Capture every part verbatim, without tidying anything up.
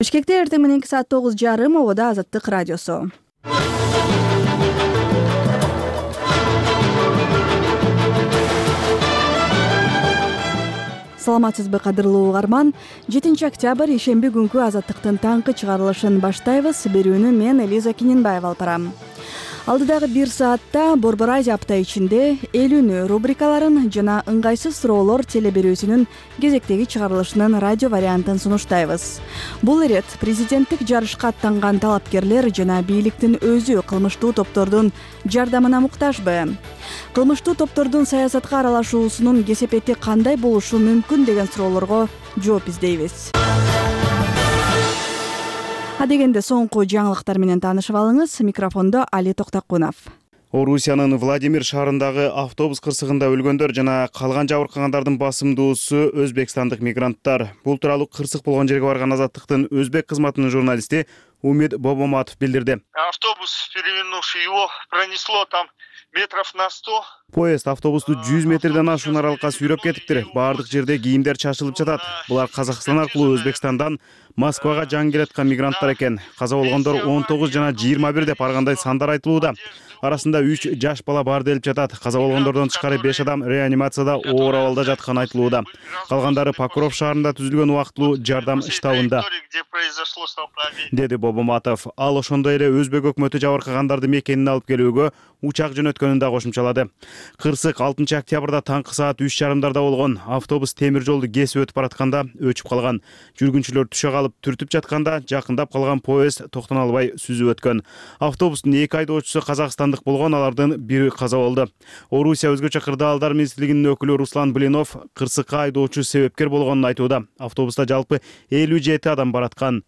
Бишкекте эртең мененки саат тогуз жарым ободо Азаттык радиосу. Саламатсызбы, кадырлуу угарман. жетинчи октябрь ишемби күнкү Азаттыктын таңкы чыгарылышын баштайбыз. Берүүнү мен Элиза Киненбаева алып барам. Алдыдагы бир саатта Борбор Азия апта ичинде элүүнү рубрикаларын жана ыңгайсыз суроолор телеберүүсүнүн кезектеги чыгарылышынын радио вариантын сунуштайбыз. Бул ирет президенттик жарышка аттанган талапкерлер жана бийликтин өзү кылмыштуу топтордун жардамына муктажбы? Кылмыштуу топтордун саясатка аралашуусунун кесепети кандай болушу мүмкүн деген суроолорго жооп издейбиз. Адегенде соңку жаңылыктар менен таанышып алыңыз. Микрофондо Али Токтокунов. Орусиянын Владимир шаарындагы автобус кырсыгында өлгөндөр жана калган жабыркагандардын басымдуусу өзбекстандык мигранттар. Бул тууралуу кырсык болгон жерге барган Азаттыктын өзбек кызматынын журналисти Умид Бобоматов билдирди. Автобус, перевернувший его, пронесло там метров на сто. Поезд автобусту жүз метрден ашуун аралыкка сүйрөп кетиптир. Баардык жерде кийимдер чачылып жатат. Булар Казакстан аркылуу Өзбекстандан Москвага жан келаткан мигранттар экен. Каза болгондор он тогуз жана жыйырма бир деп аргандай сандар айтылууда. Арасында үч жаш бала бар делип жатат. Каза болгондордон тышкары беш адам реанимацияда оор абалда жатканы айтылууда. Калгандары Покров шаарында түзүлгөн убактылуу жардам штабында, деди Бобоматов. Ал ошондой эле Өзбек өкмөтү жабыркагандарды мекенине алып келүүгө учак жөнөткөнүн да кошумчалады. Кырсык алтынчы октябрда таңкы саат үч жарымдарда болгон. Автобус темир жолду кесип өтүп баратканда өчүп калган. Жүргүнчүлөр түшө калып түртүп жатканда жакындап калган поезд токтоно албай сүзүп өткөн. Автобустун эки айдоочусу казакстандык болгон, алардын бири каза болду. Орусия өзгөчө кырдаалдар министрлигинин өкүлү Руслан Блинов кырсыкка айдоочу себепкер болгонун айтууда. Автобуста жалпы элүү жети адам бараткан.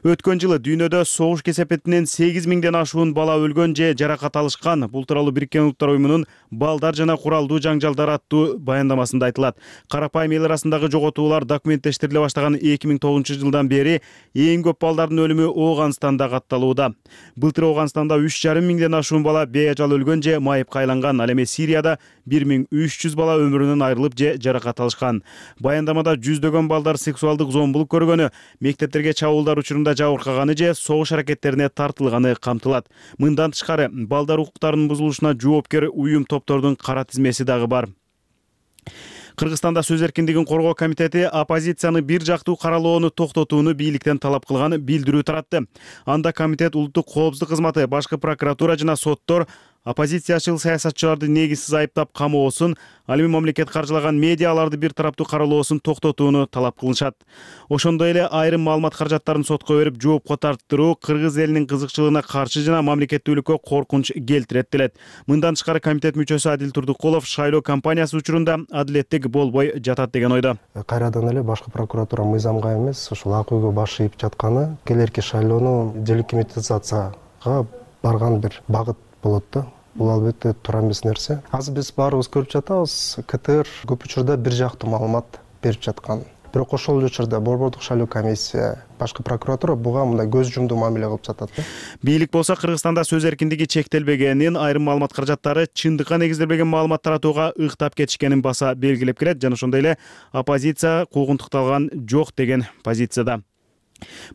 Өткөн жылы дүйнөдө согуш кесепетинен сегиз миңден ашуун бала өлгөн же жаракат алышкан. Бул тууралуу Бириккен Улуттар уюмунун балдар жана куралдуу жаңжалдар аттуу баяндамасында айтылат. Карапайым эл арасындагы жоготуулар документтештириле баштаган эки миң тогузунчу жылдан бери эң көп балдардын өлүмү Ооганстанда катталууда. Былтыр Ооганстанда үч жарым миңден ашуун бала бейажал өлгөн же майыпка айланган. Ал эми Сирияда бир миң үч жүз бала өмүрүнөн айрылып же жаракат алышкан. Баяндамада жүздөгөн балдар сексуалдык зомбулук көргөнү, мектептерге чабуулдар учурунда жабыркаганы же согуш аракеттерине тартылганы камтылат. Мындан тышкары балдар укуктарынын бузулушуна жоопкер уюм топтордун кара тизмеси дагы бар. Кыргызстанда сөз эркиндигин коргоо комитети оппозицияны бир жактуу каралоону токтотууну бийликтен талап кылган билдирүү таратты. Анда комитет улуттук коопсуздук кызматы, башкы прокуратура жана соттор оппозициячыл саясатчыларды негизсиз айыптап камоосун, ал эми мамлекет каржылаган медиаларды бир тараптуу каралоосун токтотууну талап кылышат. Ошондой эле айрым маалымат каражаттарын сотко берип жоопко тарттыруу кыргыз элинин кызыкчылыгына каршы жана мамлекеттүүлүккө коркунч келтирет делет. Мындан тышкары комитет мүчөсү Адил Турдукулов шайлоо кампаниясы учурунда адилеттик болбой жатат деген ойдо. Кайрадан эле башкы прокуратура мыйзамга эмес, ушул ак үйгө баш ийип жатканы келерки шайлоону делегитимизацияга барган бир багыт болот да. Бул албетте туура эмес нерсе. Азыр биз баарыбыз көрүп жатабыз, КТР көп учурда бир жактуу маалымат берип жаткан. Бирок ошол учурда Борбордук шайлоо комиссия, башкы прокуратура буга мындай көз жумдуу мамиле кылып жатат. Бийлик болсо Кыргызстанда сөз эркиндиги чектелбегенин, айрым маалымат каражаттары чындыкка негизделбеген маалымат таратууга ыктап кетишкенин баса белгилеп келет жана ошондой эле оппозиция куугунтукталган жок деген позицияда.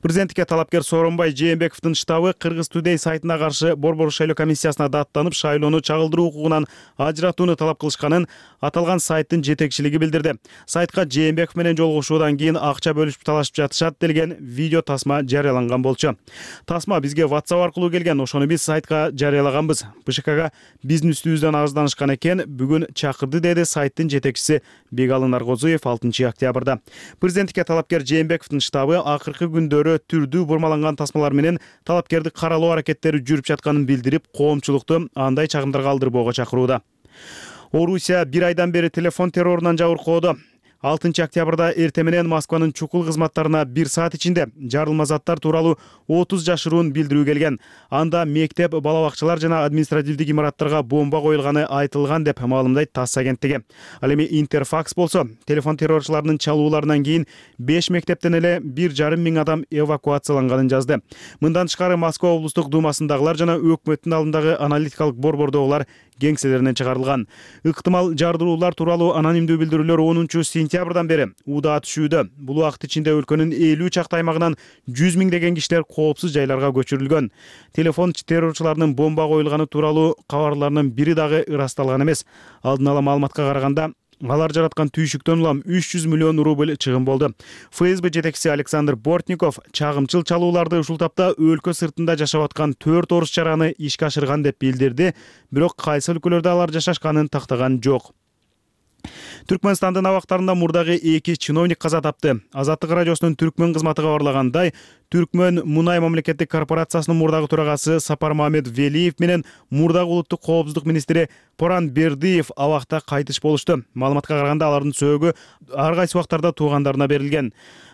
Президенттикке талапкер Сооронбай Жээнбековдун штабы Кыргыз Today сайтына каршы Борбор шайлоо комиссиясына даттанып, шайлоону чагылдыруу укугунан ажыратууну талап кылышканын аталган сайттын жетекчилиги билдирди. Сайтка Жээнбеков менен жолугушуудан кийин акча бөлүшүп талашып жатышат делген видео тасма жарыяланган болчу. Тасма бизге WhatsApp аркылуу келген, ошону биз сайтка жарыялаганбыз. БШКга биздин үстүбүздөн арызданышкан экен, бүгүн чакырды, деди сайттын жетекчиси Бегалый Наргозуев алтынчы октябрда. Президенттикке талапкер Жээнбековдун штабы акыркы күндөрү түрдүү бурмаланган тасмалар менен талапкерди каралоо аракеттери жүрүп жатканын билдирип, коомчулукту андай чагымдарга алдырбоого чакырууда. Орусия бир айдан бери телефон террорунан жабыркоодо. алтынчы октябрда эртең менен Москванын чукул кызматтарына бир саат ичинде жарылма заттар тууралуу отуз жашыруун билдирүү келген. Анда мектеп, бала бакчалар жана административдик имараттарга бомба коюлганы айтылган деп маалымдайт ТАСС агенттиги. Ал эми Интерфакс болсо, телефон террорчуларынын чалууларынан кийин беш мектептен эле бир жарым миң адам эвакуацияланганын жазды. Мындан тышкары Москва облустук думасындагылар жана өкмөттүн алдындагы аналитикалык борбордогулар кеңселеринен чыгарылган. Ыктымал жардыруулар тууралуу анонимдүү билдирүүлөр онунчу сентябрь сентябрдан бери уда түшүүдө. Бул убакыт ичинде өлкөнүн элүү чакты аймагынан жүз миңдеген кишилер коопсуз жайларга көчүрүлгөн. Телефон террорчуларынын бомба коюлганы тууралуу кабарларынын бири дагы ырасталган эмес. Алдын ала маалыматка караганда, алар жараткан түйшүктөн улам үч жүз миллион рубль чыгым болду. ФСБ жетекчиси Александр Бортников чагымчыл чалууларды ушул тапта өлкө сыртында жашап аткан төрт орус чараны ишке ашырган деп билдирди, бирок кайсы өлкөлөрдө алар жашашканын тактаган жок. Түркмөнстандын абактарында мурдагы эки чиновник каза тапты. Азаттык радиосунун Түркмөн кызматы кабарлагандай, Түркмөн Мунай мамлекеттик корпорациясынын мурдагы төрагасы Сапар Мамед Велиев менен мурдагы улуттук коопсуздук министри Поран Бердиев абакта кайтыш болушту. Маалыматка караганда алардын сөөгү ар кайсы убактарда туугандарына берилген.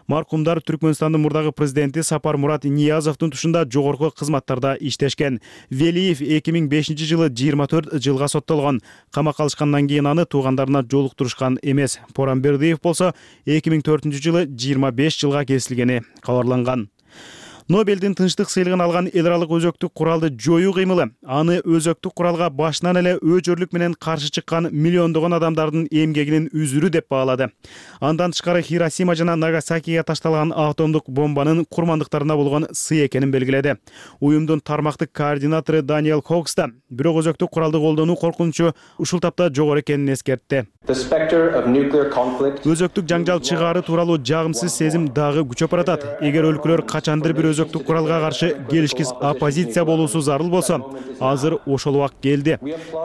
Маркумдар Түркмөнстандын мурдагы президенти Сапар Мурат Ниязовдун тушунда жогорку кызматтарда иштешкен. Велиев эки миң бешинчи жылы жыйырма төрт жылга соттолгон. Камакка алышкандан кийин аны туугандарына жолуктурушкан эмес. Поран Бердиев болсо эки миң төртүнчү жылы жыйырма беш жылга кесилгени кабарланган. Нобелдин тынчтык сыйлыгын алган эл аралык өзөктүк куралды жоюу кыймылы аны өзөктүк куралга башынан эле өчөрлүк менен каршы чыккан миллиондогон адамдардын эмгегинин үзүрү деп баалады. Андан тышкары Хиросима жана Нагасакиге ташталган атомдук бомбанын курмандыктарына болгон сый экенин белгиледи. Уюмдун тармактык координатору Даниэл Хокс да бирок өзөктүк куралды колдонуу коркунучу ушул тапта жогору экенин эскертти. Өзөктүк жаңжал чыгаары тууралуу жагымсыз сезим дагы күчөп баратат. Эгер өлкөлөр качандыр бир өзөктүк куралга каршы келишкиз оппозиция болуусу зарыл болсо, азыр ошол убак келди.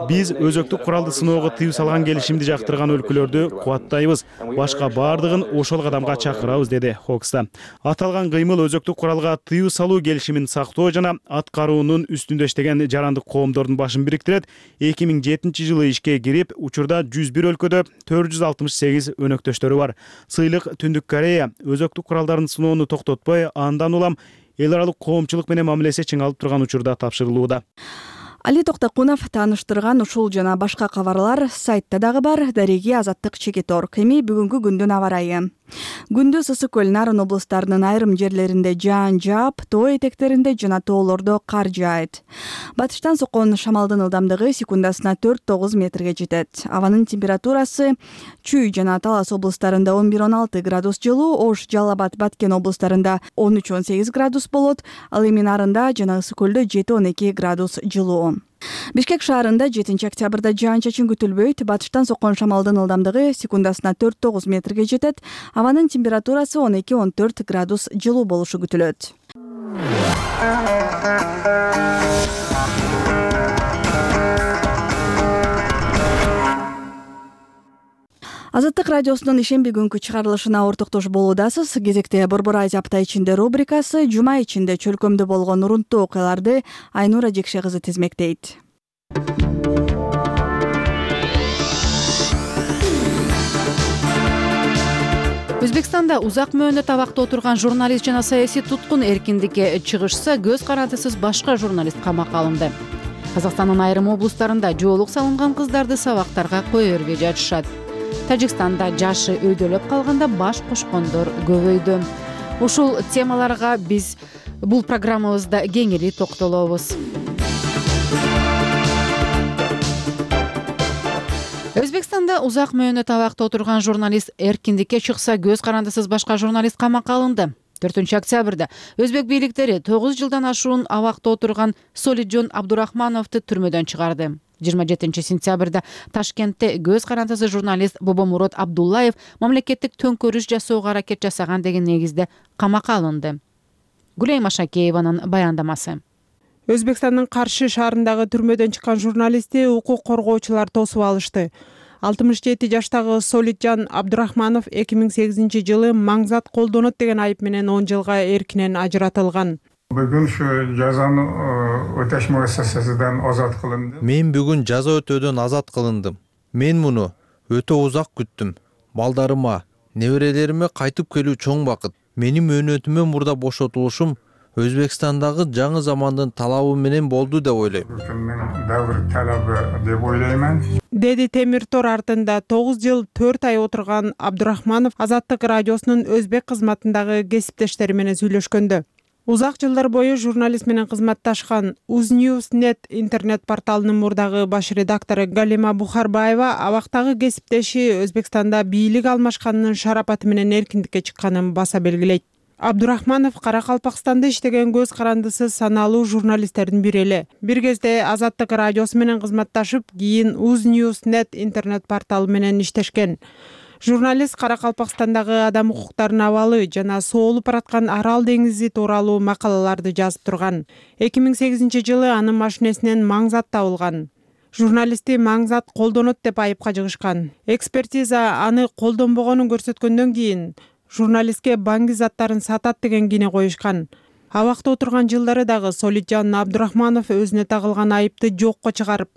Биз өзөктүк куралды сыноого тыюу салган келишимди жактырган өлкөлөрдү кубаттайбыз. Башка бардыгын ошол кадамга чакырабыз, деди Хокста. Аталган кыймыл өзөктүк куралга тыюу салуу келишимин сактоо жана аткаруунун үстүндө иштеген жарандык коомдордун башын бириктирет. эки миң жетинчи жылы ишке кирип, учурда жүз бир өлкөдө төрт жүз алтымыш сегиз өнөктөштөрү бар. Сыйлык Түндүк Корея өзөктүк куралдарын сыноону токтотпой, андан улам эл аралык коомчулук менен мамилеси чыңалып турган учурда тапшырылууда. Али Токтокунов тааныштырган ушул жана башка кабарлар сайтта дагы бар. Дареги Азаттык Чекитор. Эми бүгүнкү күндүн аба ырайы. Күндүз ысык көл Нарын облустарынын айрым жерлеринде жаан жаап, тоо этектеринде жана тоолордо кар жаайт. Батыштан соккон шамалдын ылдамдыгы секундасына төрт тогуз метрге жетет. Абанын температурасы Чүй жана Талас облустарында он бир он алты градус жылуу, Ош, Жалал Абад, Баткен облустарында он үч он сегиз градус болот, ал эми Нарында жана ысык көлдө жети он эки градус жылуу. Бишкек шаарында жетинчи октябрда жаан-чачын күтүлбөйт. Батыштан соккон шамалдын ылдамдыгы секундасына төрт тогуз метрге жетет. Абанын температурасы он эки он төрт градус жылуу болушу күтүлөт. Азаттык радиосунун ишемби күнкү чыгарылышына ортоктош болуудасыз. Кезекте Борбор Азия апта ичинде рубрикасы жума ичинде чөлкөмдө болгон урунттуу окуяларды Айнура Жекше кызы тизмектейт. Өзбекстанда узак мөөнөт абакта отурган журналист жана саясий туткун эркиндикке чыгышса, көз карандысыз башка журналист камакка алынды. Казакстандын айрым облустарында жоолук салынган кыздарды сабактарга кое бербей жатышат. Тажикстанда жашы өйдөлөп калганда баш кошкондор көбөйдү. Ушул темаларга биз бул программабызда кеңири токтолобуз. Өзбекстанда узак мөөнөт абакта отурган журналист эркиндикке чыкса, көз карандысыз башка журналист камакка алынды. төртүнчү октябрда өзбек бийликтери тогуз жылдан ашуун абакта отурган Солиджон Абдурахмановду түрмөдөн чыгарды. жыйырма жетинчи сентябрда Ташкентте көз карандысыз журналист Бобомурод Абдуллаев мамлекеттик төңкөрүш жасоого аракет жасаган деген негизде камакка алынды. Гулей Машакееванын баяндамасы. Өзбекстандын Каршы шаарындагы түрмөдөн чыккан журналистти укук коргоочулар тосуп алышты. алтымыш жети жаштагы Солиджан Абдурахманов эки миң сегизинчи жылы маңзат колдонот деген айып менен он жылга эркинен ажыратылган. Бүгүн ушу жазаны өтөш муассасасынан азат кылынды. Мен бүгүн жаза өтөөдөн азат кылындым. Мен муну өтө узак күттүм. Балдарыма, неберелериме кайтып келүү чоң бакыт. Менин мөөнөтүмө мурда бошотулушум Өзбекстандагы жаңы замандын талабы менен болду деп ойлойм. Давр талабы деп ойлоймун. Деди Темир Тор артында тогуз жыл төрт ай отурган Абдурахманов Азаттык радиосунун өзбек кызматындагы кесиптештери менен сүйлөшкөндө. Узак жылдар бою журналист менен кызматташкан Uznewsnet интернет порталынын мурдагы баш редактору Галима Бухарбаева абактагы кесиптеши Өзбекстанда бийлик алмашканынын шарапаты менен эркиндикке чыкканын баса белгилейт. Абдурахманов Каракалпакстанда иштеген көз карандысы саналуу журналисттердин бири эле. Бир кезде Азаттык радиосу менен кызматташып, кийин Uznewsnet интернет порталы менен иштешкен. Журналист Каракалпакстандагы адам укуктарынын абалы жана соолуп бараткан Арал деңизи тууралуу макалаларды жазып турган. эки миң сегизинчи жылы анын машинесинен маңзат табылган. Журналистти маңзат колдонот деп айыпка жыгышкан. Экспертиза аны колдонбогонун көрсөткөндөн кийин журналистке баңги заттарын сатат деген кине коюшкан. Абакта отурган жылдары дагы Солитжан Абдурахманов өзүнө тагылган айыпты жокко чыгарып,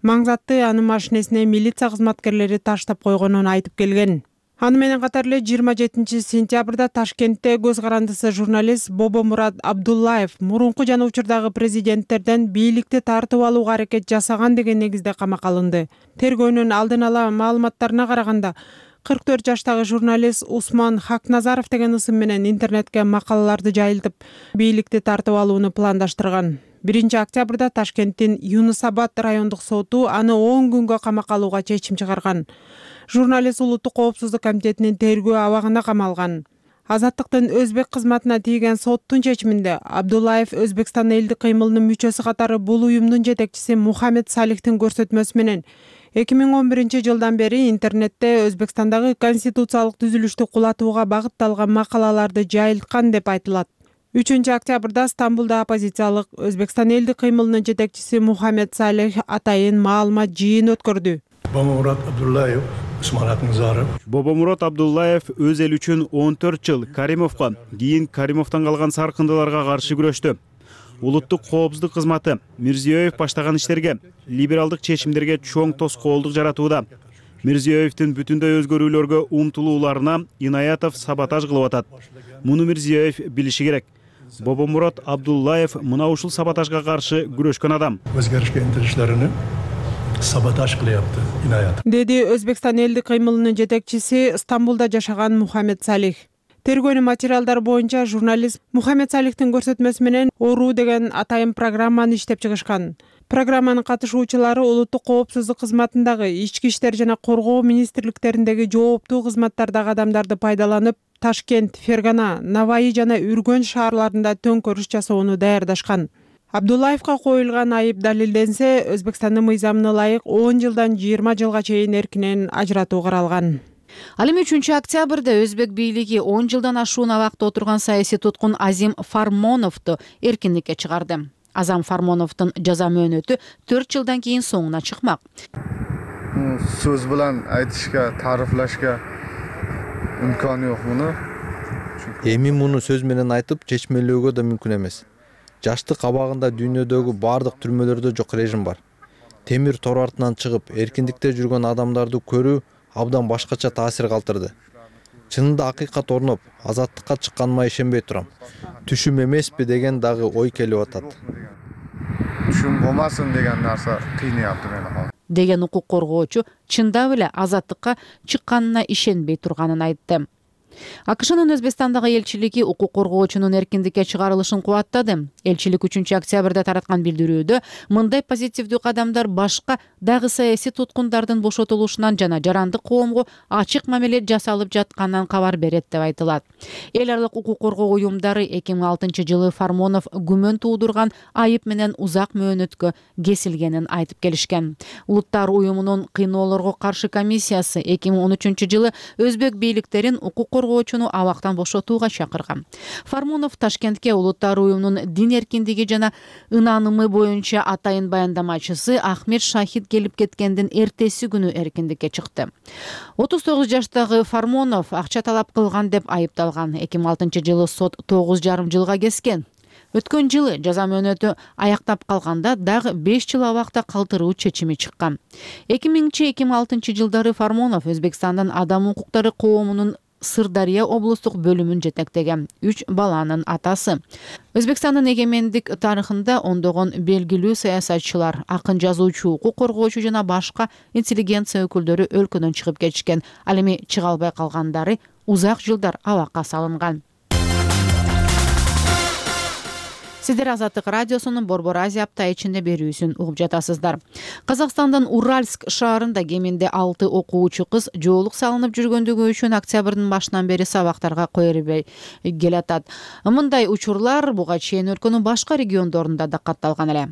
маңзатты анын машинесине милиция кызматкерлери таштап койгонун айтып келген. Аны менен катар эле жыйырма жетинчи сентябрда Ташкентте көз карандысы журналист Бобомурат Абдуллаев мурунку жана учурдагы президенттерден бийликти тартып алууга аракет жасаган деген негизде камакка алынды. Тергөөнүн алдын ала маалыматтарына караганда, кырк төрт жаштагы журналист Усман Хакназаров деген ысым менен интернетке макалаларды жайылтып, бийликти тартып алууну пландаштырган. биринчи октябрда Ташкенттин Юнусабад райондук соту аны он күнгө камакка алууга чечим чыгарган. Журналист Улуттук коопсуздук комитетинин тергөө абагына камалган. Азаттыктын Өзбек кызматына тийген соттун чечиминде Абдуллаев Өзбекстан элдик кыймылынын мүчөсү катары бул уюмдун жетекчиси Мухаммед Салихтин көрсөтмөсү менен эки миң он биринчи жылдан бери интернетте Өзбекстандагы конституциялык түзүлүштү кулатууга багытталган макалаларды жайылткан деп айтылат. үчүнчү октябрда Стамбулда оппозициялык Өзбекстан элдик кыймылынын жетекчиси Мухаммед Салих атайын маалымат жыйын өткөрдү. Бобомурат Абдуллаев, Усман Хакназаров. Бобомурат Абдуллаев өз эл үчүн он төрт жыл Каримовго, кийин Каримовдон калган саркындыларга каршы күрөштү. Улуттук коопсуздук кызматы Мирзиёев баштаган иштерге, либералдык чечимдерге чоң тоскоолдук жаратууда. Мирзиёевдин бүтүндөй өзгөрүүлөргө умтулууларына Инаятов саботаж кылып атат. Муну Мирзиёев билиши керек. Бобомурат Абдуллаев мына ушул саботажга каршы күрөшкөн адам. Өзгөрүшкө интилишлерини саботаж кылыпты Инаятов. Деди Өзбекстан элдик кыймылынын жетекчиси Стамбулда жашаган Мухаммед Салих. Тергөөнүн материалдары боюнча журналист Мухаммед Салихтин көрсөтмөсү менен Ору деген атайын программаны иштеп чыгышкан. Программанын катышуучулары улуттук коопсуздук кызматындагы, ички иштер жана коргоо министрликтериндеги жооптуу кызматтардагы адамдарды пайдаланып, Ташкент, Фергана, Наваи жана Үргөн шаарларында төңкөрүш жасоону даярдашкан. Абдуллаевга коюлган айып далилденсе, Өзбекстандын мыйзамына ылайык он жылдан жыйырма жылга чейин эркинен ажыратуу каралган. Ал эми үчүнчү октябрда Өзбек бийлиги он жылдан ашуун абакта отурган саясий туткун Азим Фармоновду эркиндикке чыгарды. Азам Фармоновдун жаза мөөнөтү төрт жылдан кийин соңуна чыкмак. Сөз менен айтышка, тарифлашка имкан жок муну. Эми муну сөз менен айтып чечмелөөгө да мүмкүн эмес. Жаштык абагында дүйнөдөгү бардык түрмөлөрдө жок режим бар. Темир тор артынан чыгып, эркиндикте жүргөн адамдарды көрүү абдан башкача таасир калтырды. Чынында акыйкат орноп, азаттыкка чыкканыма ишенбей турам. Түшүм эмеспи деген дагы ой келип атат. Түшүм болмасын деген нерсе кыйнаяпты мени. Деген укук коргоочу чындап эле азаттыкка чыкканына ишенбей турганын айтты. АКШнын Өзбекстандагы элчилиги укук коргоочунун эркиндикке чыгарылышын кубаттады. Элчилик үчүнчү октябрда тараткан билдирүүдө мындай позитивдүү кадамдар башка дагы саясий туткундардын бошотулушунан жана жарандык коомго ачык мамиле жасалып жатканынан кабар берет деп айтылат. Эл аралык укук коргоо уюмдары эки миң алтынчы жылы Фармонов күмөн туудурган айып менен узак мөөнөткө кесилгенин айтып келишкен. Улуттар уюмунун кыйноолорго каршы комиссиясы эки миң он үчүнчү жылы өзбек бийликтерин укук коргоочуну абактан бошотууга чакырган. Фармонов Ташкентке улуттар уюмунун дин эркиндиги жана ынанымы боюнча атайын баяндамачысы Ахмед Шахид келип кеткендин эртеси күнү эркиндикке чыкты. отуз тогуз жаштагы Фармонов акча талап кылган деп айыпталган. эки миң алтынчы жылы сот тогуз жарым жылга кескен. Өткөн жылы жаза мөөнөтү аяктап калганда дагы беш жыл абакта калтыруу чечими чыккан. эки миңинчи эки миң алтынчы жылдары Фармонов Өзбекстандын адам укуктары коомунун Сырдария облустук бөлүмүн жетектеген үч баланын атасы. Өзбекстандын эгемендик тарыхында ондогон белгилүү саясатчылар, акын жазуучу, укук коргоочу жана башка интеллигенция өкүлдөрү өлкөдөн чыгып кетишкен. Ал эми чыга албай калгандары узак жылдар абакка салынган. Сиздер Азаттык радиосунун Борбор Азия апта ичинде берүүсүн угуп жатасыздар. Казакстандын Уральск шаарында кеминде алты окуучу кыз жоолук салынып жүргөндүгү үчүн октябрдын башынан бери сабактарга кое бербей келатат. Мындай учурлар буга чейин өлкөнүн башка региондорунда да катталган эле.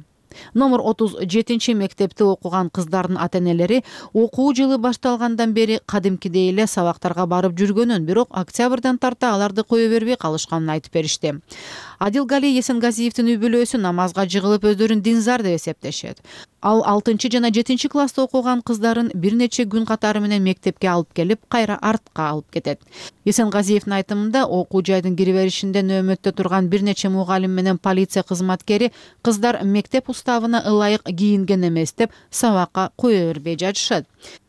Номер отуз жетинчи мектепте окуган кыздардын ата-энелери окуу жылы башталгандан бери кадимкидей эле сабактарга барып жүргөнүн, бирок октябрдан тарта аларды кое бербей калышканын айтып беришти. Адилгали Есенгазиевдин үй бүлөсү намазга жыгылып өздөрүн динзар деп эсептешет. Ал алтынчы жана жетинчи класста окуган кыздарын бир нече күн катары менен мектепке алып келип, кайра артка алып кетет. Есенгазиевдин айтымында, окуу жайдын кириберишинде нөөмөттө турган бир нече мугалим менен полиция кызматкери кыздар мектеп уставына ылайык кийинген эмес деп сабакка кое бербей жатышат.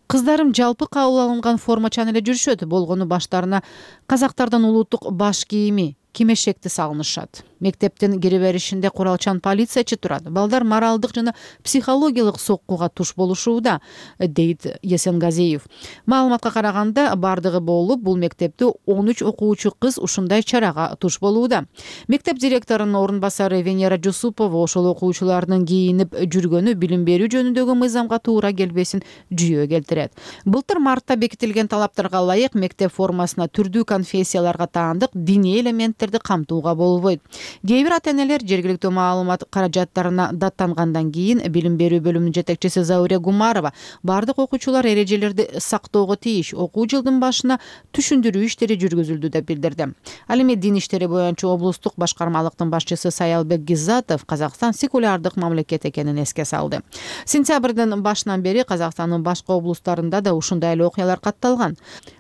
Кыздарым жалпы кабыл алынган формачан эле жүрүшөт, болгону баштарына казактардын улуттук баш кийими, кимешекти салынышат. Мектептин кириберишинде куралчан полициячы турат. Балдар моралдык жана психологиялык соккуга туш болушууда, дейт Есенгазиев. Маалыматка караганда, бардыгы болуп, бул мектепте он үч окуучу кыз ушундай чарага туш болууда. Мектеп директорунун орун басары Венера Жусупова ошол окуучулардын кийинип жүргөнү билим берүү жөнүндөгү мыйзамга туура келбесин жүйө келтирет. Былтыр мартта бекитилген талаптарга ылайык мектеп формасына түрдүү конфессияларга таандык диний элементтерди камтууга болбойт. Кээ бир ата-энелер жергиликтүү маалымат каражаттарына даттангандан кийин билим берүү бөлүмүнүн жетекчиси Зауре Гумарова бардык окуучулар эрежелерди сактоого тийиш, окуу жылдын башына түшүндүрүү иштери жүргүзүлдү деп билдирди. Ал эми дин иштери боюнча облустук башкармалыктын башчысы Саялбек Гизатов Казакстан секулярдык мамлекет экенин эске салды. Сентябрдын башынан бери Казакстандын башка облустарында да ушундай эле окуялар катталган.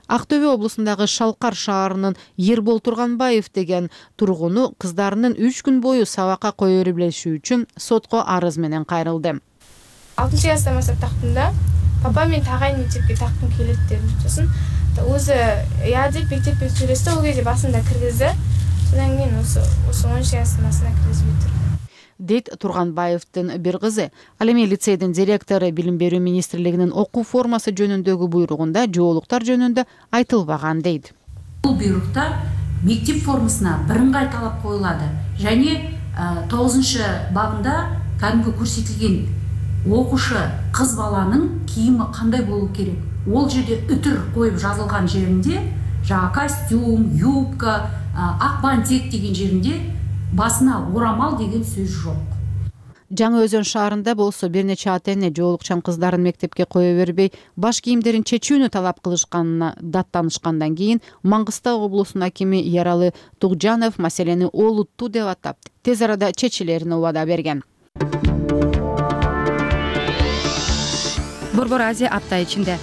Актөбө облусундагы Шалкар шаарынын Ербол Турганбаев деген тургуну кыздарынын үч күн бою сабакка кое бербеши үчүн сотко арыз менен кайрылды. алтынчы класста баштап тактым да. Папа мен тагайын мектепке тактым келет дедим. Сосын өзү я деп мектепке сүйлөштү, ол кезде басында киргизди. Содан кийин осы осы онунчу класстын басына киргизбей тур. Дейт Турганбаевдин бир кызы. Ал эми лицейдин директору Билим берүү министрлигинин окуу формасы жөнүндөгү буйругунда жоолуктар жөнүндө айтылбаган дейт. Бул буйрукта мектеп формасына бирыңгай талап коюлады. Және тогузунчу бабында кәдимги көрсөтүлгөн окушы кыз баланын кийими кандай болуу керек. Ол жерде үтүр коюп жазылган жеринде, жана костюм, юбка, ак бантик деген жеринде басына орамал деген сөз жок. Жаңы Өзөн шаарында болсо бир нече ата-эне жоолукчан кыздарын мектепке кое бербей, баш кийимдерин чечүүнү талап кылышканына даттанышкандан кийин Маңгыстау облусунун акими Яралы Тугжанов маселени олуттуу деп атап, тез арада чечилерин убада берген. Борбор Азия апта ичинде.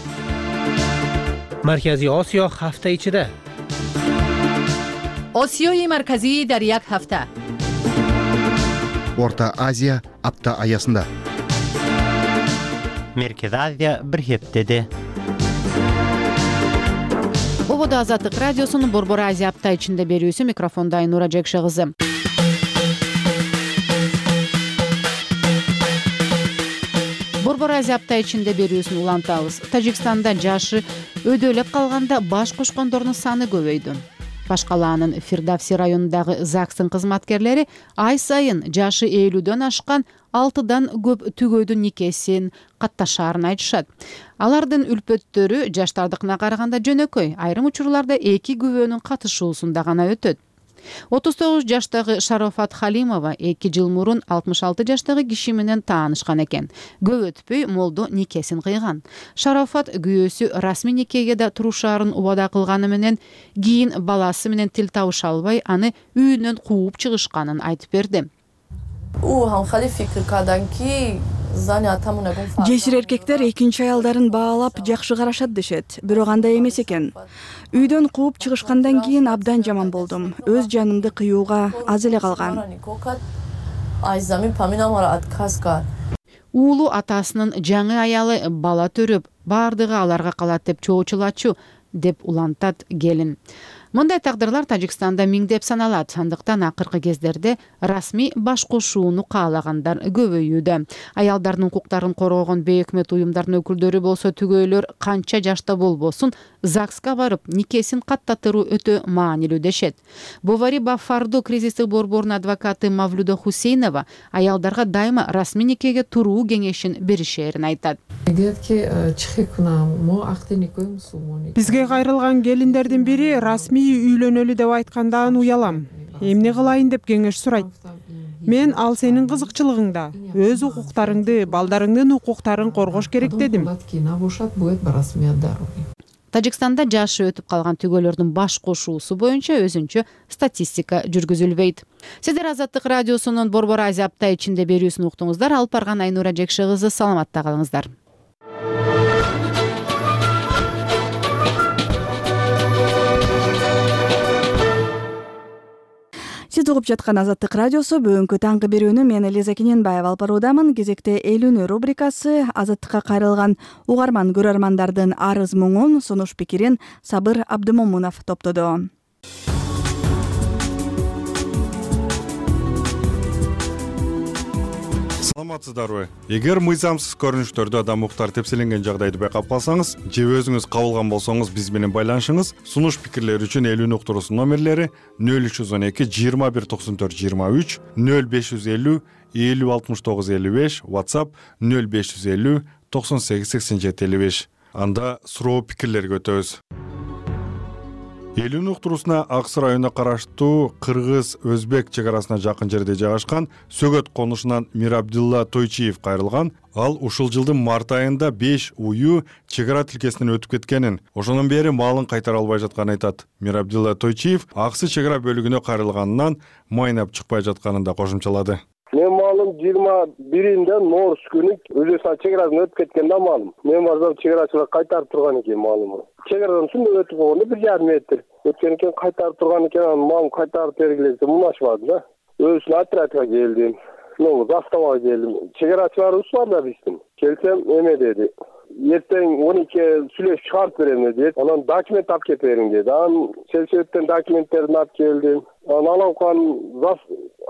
Маркази Осиё ҳафта ичида. Осиёи марказӣ дар як ҳафта. Орта Азия апта аясында. Меркез Азия бир хептеде. Ободо Азаттык радиосунун Борбор Азия апта ичинде берүүсү, микрофонда Айнура Жекше кызы. Борбор Азия апта ичинде берүүсүн улантабыз. Тажикстанда жашы өйдөлөп калганда баш кошкондордун саны көбөйдү. Башкалаанын Фирдавси районундагы ЗАГСтын кызматкерлери ай сайын жашы элүүдөн ашкан алтыдан көп түгөйдүн никесин катташаарын айтышат. Алардын үлпөттөрү жаштардыкына караганда жөнөкөй, айрым учурларда эки күбөнүн катышуусунда гана өтөт. отуз тогуз жаштагы Шарофат Халимова эки жыл мурун алтымыш алты жаштагы киши менен таанышкан экен. Көп өтпөй молдо никесин кыйган. Шарофат күйөөсү расмий никеге да турушаарын убада кылганы менен кийин баласы менен тил табыша албай, аны үйүнөн кууп чыгышканын айтып берди. Жесир эркектер экинчи аялдарын баалап жакшы карашат дешет, бирок андай эмес экен. Үйдөн кууп чыгышкандан кийин абдан жаман болдум. Өз жанымды кыюуга аз эле калган. Уулу атасынын жаңы аялы бала төрөп, бардыгы аларга калат деп чоочулачу деп улантат келин. Мындай тагдырлар Тажикстанда миңдеп саналат. Андыктан акыркы кездерде расмий баш кошууну каалагандар көбөйүүдө. Аялдардын укуктарын коргогон бейөкмөт уюмдардын өкүлдөрү болсо түгөйлөр канча жашта болбосун ЗАГСка барып никесин каттатыруу өтө маанилүү дешет. Бовари Баффарду кризистик борборунун адвокаты Мавлюда Хусейнова аялдарга дайыма расмий никеге туруу кеңешин беришерин айтат. Бизге кайрылган келиндердин бири расмий үйлөнөлү деп айткандан уялам. Эмне кылайын деп кеңеш сурайт. Мен ал сенин кызыкчылыгыңда, өз укуктарыңды, балдарыңдын укуктарын коргош керек дедим. Тажикстанда жашы өтүп калган түгөйлөрдүн баш кошуусу боюнча өзүнчө статистика жүргүзүлбөйт. Сиздер Азаттык радиосунун Борбор Азия апта ичинде берүүсүн уктуңуздар. Алып барган Айнура Жекши кызы, саламатта калыңыздар. Сиз угуп жаткан Азаттык радиосу бүгүнкү таңкы берүүнү мен Элиза Кененбаева алып баруудамын. Кезекте элүүнү рубрикасы Азаттыкка кайрылган угарман көрөрмандардын арыз муңун, сунуш пикирин Сабыр Абдымомунов топтоду. Саламатсыздарбы? Эгер мыйзамсыз көрүнүштөрдө адам укуктары тепселенген жагдайды байкап калсаңыз же өзүңүз кабылган болсоңуз биз менен байланышыңыз. Сунуш пикирлер үчүн элүүнү уктуруусунун номерлери нөл үч жүз он эки жыйырма бир токсон төрт жыйырма үч, нөл беш жүз элүү элүү алтымыш тогуз элүү беш, WhatsApp нөл беш жүз элүү токсон сегиз сексен жети элүү беш. Анда суроо пикирлерге өтөбүз. Элүүнү уктуруусуна Ак Суу районуна караштуу Кыргыз-Өзбек чек арасына жакын жерде жайгашкан Сөгөт конушунан Мирабдилла Тойчиев кайрылган. Ал ушул жылдын март айында беш уюу чек ара тилкесинен өтүп кеткенин, ошондон бери малын кайтара албай жатканын айтат. Мирабдилла Тойчиев Ак Суу чек ара бөлүгүнө кайрылганынан майнап чыкпай жатканын да кошумчалады. Мен малым жыйырма биринде Ноорус күнү Өзбекстан чек арасынан өтүп кеткен да малым. Мен барсам чек арачылар кайтарып турган экен малымды. Чек арадан сүндөп өтүп болгондо бир жарым метр өткөн экен, кайтарып турган экен, анан малым кайтарып бергиле десем муңашпады да. Өзүнүн отрядка келдим. Ну, заставага келдим. Чек арачыларыбыз бар да биздин. Келсем эме деди. Эртең он экиге сүйлөшүп чыгарып берем деди. Анан документ алып келип бериң деди. Анан сельсоветтен документтерин алып келдим. Анан аламкан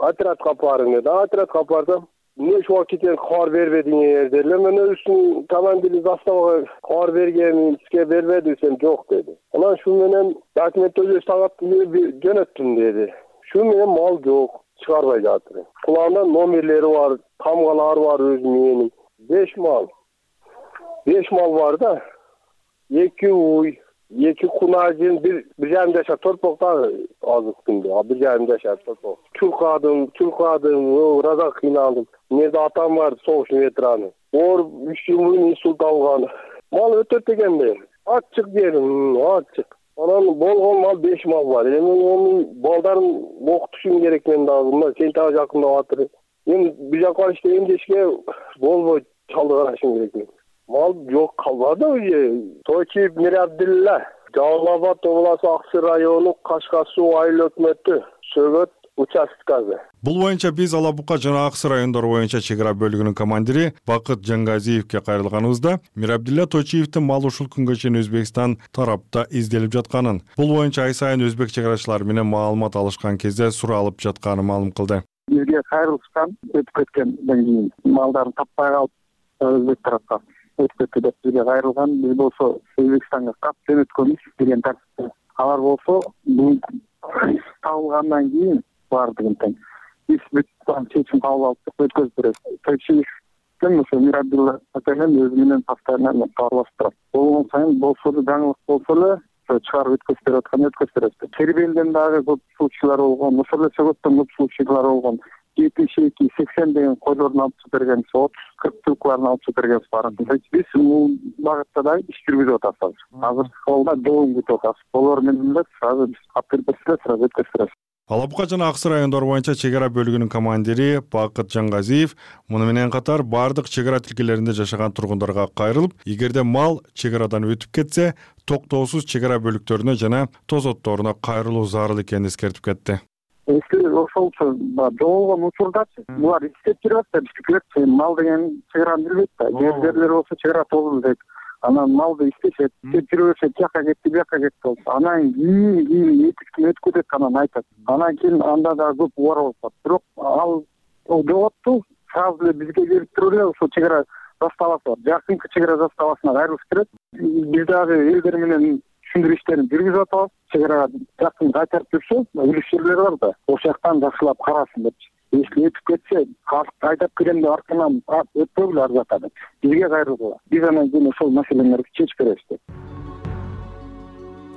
отрядка барың деди. Отрядка бардым. Эмне ушуга кеткен кабар бербедиңер дедилер. Мен өзүнүн командири заставага кабар бергенмин, сизге бербеди десем жок деди. Анан ушул менен документ Өзбекстанга жөнөттүм деди. Ушул менен мал жок, чыгарбай жатыр. Кулагында номерлери бар, камгалары бар өзү менин. беш мал. беш мал бар да. эки уй, эки кунажын, бир бир жарым жашар торпокта азык күндө, а бир жарым жашар торпок. Чулкадым, чулкадым, раза кыйналдым. Менде атам бар, согуш ветераны. Оор үч жыл мурун инсульт алган. Мал өтөт дегенде, ачык дедим, ачык. Анан болгон мал беш мал бар. Эми онун балдарын окутушум керек мен дагы. Мына сентябрь жакындап атыр. Мен бир жака иште эмдешке болбойт, чалды карашым керек. Мал жок калбады уже. Тойчиев Мирабдилла, Жалал Абад областы Ак Суу району Кашка суу айыл өкмөтү, Сөгөт участкасы. Бул боюнча биз Алабука жана Ак Суу райондору боюнча чек ара бөлүгүнүн командири Бакыт Жангазиевке кайрылганыбызда Мирабдилла Тойчиевдин мал ушул күнгө чейин Өзбекстан тарапта изделип жатканын, бул боюнча ай сайын өзбек чек арачылары менен маалымат алышкан кезде суралып жатканын маалым кылды. Бизге кайрылышкан, өтүп кеткенден кийин малдарын таппай калып, өзбек тарапка өтүп кетти деп бизге кайрылган. Биз болсо Өзбекстанга кап жөнөткөнбүз деген тартипте. Алар болсо бул табылгандан кийин бардыгын тең биз бүт чечим кабыл алып өткөзүп беребиз. Тойчиевдин ошо Мирабдилла менен өзү менен постоянно кабарлашып турат. Болгон сайын болсо да жаңылык болсо эле чыгарып өткөзүп берип аткан өткөзүп беребиз. Тербелден дагы көп случайлар болгон, ошол эле Сөгөттөн көп случайлар болгон. жетимиш эки сексен деген койлорун алып чыгып бергенбиз, отуз кырк жылкыларын алып чыгып бергенбиз барын. Биз бул багытта да иш жүргүзүп атабыз. Азыр колда жоом күтүп атабыз. Болор менен эле сразу биз алып берип берсек, сразу өткөзүп беребиз. Алабука жана Ак Суу райондору боюнча чек ара бөлүгүнүн командири Бакыт Жангазиев муну менен катар бардык чек ара тилкелеринде жашаган тургундарга кайрылып, эгерде мал чек арадан өтүп кетсе, токтоосуз чек ара бөлүктөрүнө жана тозотторуна кайрылуу зарыл экенин эскертип кетти. Эски ошолчу жоголгон учурдачы булар иштеп жүрөт да, бизге мал деген чек араны билбейт да. Жерлер болсо чек ара толду дейт. анан малды иштешет, кеп жүрө беришет, тияка кетти, бияка кетти болуп. Анан кийин кийин эки үч күн өтүп кетет, анан айтат. Анан кийин анда да көп убара болуп калат. Бирок ал жоголтту сразу эле бизге келип туруп эле ошо чек ара заставасы бар. Жакынкы чек ара заставасына кайрылып берет. Биз дагы элдер менен түшүндүрүү иштерин жүргүзүп атабыз. Чек арага жакын кайтарып жүрсө, үлүш жерлер бар да, ошол жактан жакшылап карасын депчи. Если өтүп кетсе, калк айдап келем деп арканан өтпөгүлө ар жака деп бизге кайрылгыла. Биз анан кийин ошол маселелерди чечип беребиз деп.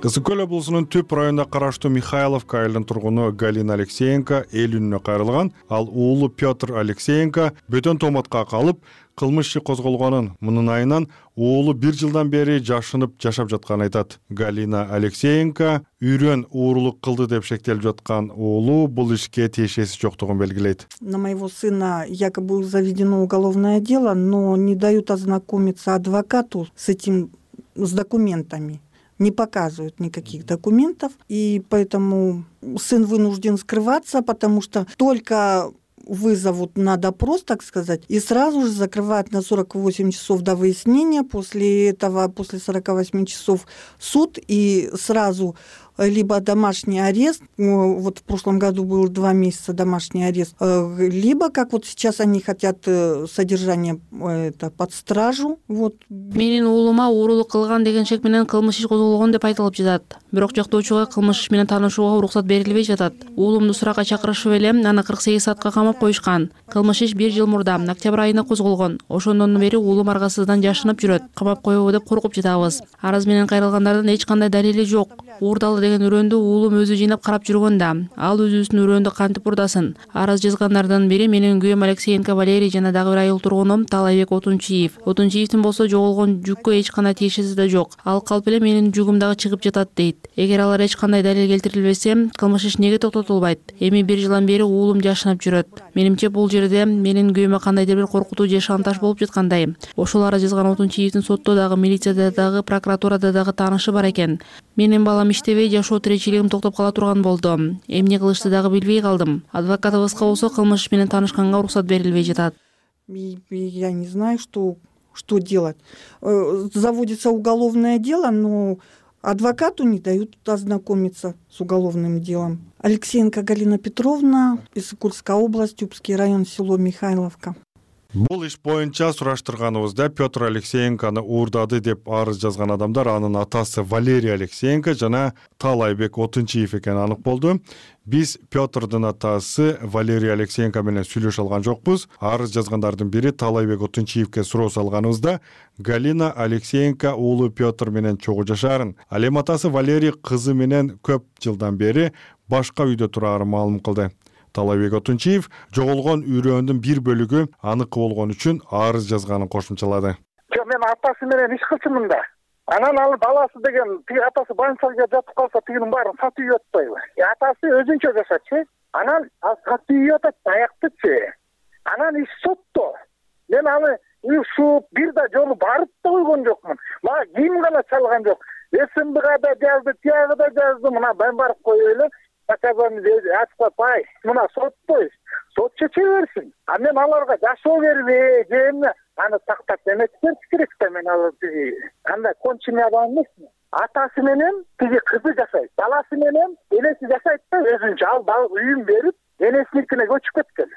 Кызыл Көл облусунун Түп районуна караштуу Михайловка айылынын тургуну Галина Алексеенко эл үнүнө кайрылган. Ал уулу Петр Алексеенко бөтөн томатка калып, кылмыш иши козголгонун, мунун айынан уулу бир жылдан бери жашынып жашап жатканын айтат. Галина Алексеенко үйрөн уурулук кылды деп шектелип жаткан уулу бул ишке тиешеси жоктугун белгилейт. На моего сына якобы заведено уголовное дело, но не дают ознакомиться адвокату с этим, с документами. Не показывают никаких документов, и поэтому сын вынужден скрываться, потому что только вызовут на допрос, так сказать, и сразу же закрывают на сорок восемь часов до выяснения. После этого, после сорока восьми часов суд, и сразу либо домашний арест, вот в прошлом году был два месяца домашний арест, либо, как вот сейчас они хотят, содержание это под стражу. Вот. Менин уулума уурулук кылган деген шек менен кылмыш иш козголгон деп айтылып жатат. Бирок жактоочуга кылмыш иш менен таанышууга уруксат берилбей жатат. Уулумду суракка чакырышып эле аны кырк сегиз саатка камап коюшкан. Кылмыш иш бир жыл мурда октябрь айында козголгон. Ошондон бери уулум аргасыздан жашынып жүрөт. Камап коебу деп коркуп жатабыз. Арыз менен кайрылгандардын эч кандай далили жок. Уурдалы деген үрөндү уулум өзү жыйнап карап жүргөн да. Ал өзүбүздүн үрөндү кантип урдасын? Арыз жазгандардын бири менин күйөөм Алексеенко Валерий жана дагы бир айыл тургуну Талайбек Отунчиев. Отунчиевдин болсо жоголгон жүккө эч кандай тиешеси да жок. Ал калп эле менин жүгүм дагы чыгып жатат дейт. Эгер алар эч кандай далил келтирилбесе, кылмыш иш неге токтотулбайт? Эми бир жылдан бери уулум жашынып жүрөт. Менимче бул жерде менин күйөөмө кандайдыр бир коркутуу же шантаж болуп жаткандай. Ошол арыз жазган Отунчиевдин сотто дагы, милицияда дагы, прокуратурада дагы таанышы бар экен. Менин балам иштебей жашоо тиричилигим токтоп кала турган болду. Эмне кылышты дагы билбей калдым. Адвокатыбызга болсо кылмыш менен таанышканга уруксат берилбей жатат. Я не знаю, что что делать. Заводится уголовное дело, но адвокату не дают ознакомиться с уголовным делом. Алексеенко Галина Петровна, Иссык-Кульская область, Тюбский район, село Михайловка. Бул иш боюнча сураштырганыбызда Петр Алексеенкону уурдады деп арыз жазган адамдар анын атасы Валерий Алексеенко жана Талайбек Отунчиев экени анык болду. Биз Петрдун атасы Валерий Алексеенко менен сүйлөшө алган жокпуз. Арыз жазгандардын бири Талайбек Отунчиевке суроо салганыбызда Галина Алексеенко уулу Петр менен чогуу жашаарын, ал эми атасы Валерий кызы менен көп жылдан бери башка үйдө турарын маалым кылды. Талайбек Отунчиев жоголгон үрөөндүн бир бөлүгү аныкы болгон үчүн арыз жазганын кошумчалады. Жок, мен атасы менен иш кылчумун да. Анан ал баласы деген тиги атасы больницага жатып калса тигинин баарын сатып үйүп атпайбы? Атасы өзүнчө жашачы. Анан ал сатып үйүп атат, аяктычы. Анан иш сотто. Мен аны ушу бир да жолу барып да койгон жокмун. Мага ким гана чалган жок. СМБга да жазды, тияга да жазды. Мына мен барып коюп эле наказание ачпай, пай, мына соттой, сот чече берсин. А мен аларга жашоо бербей, же эмне аны тактап эметкен керек да, мен алар тиги андай конченый адам эмесмин. Атасы менен тиги кызы жашайт, баласы менен энеси жашайт да өзүнчө. Ал үйүн берип, энесиникине көчүп кеткен.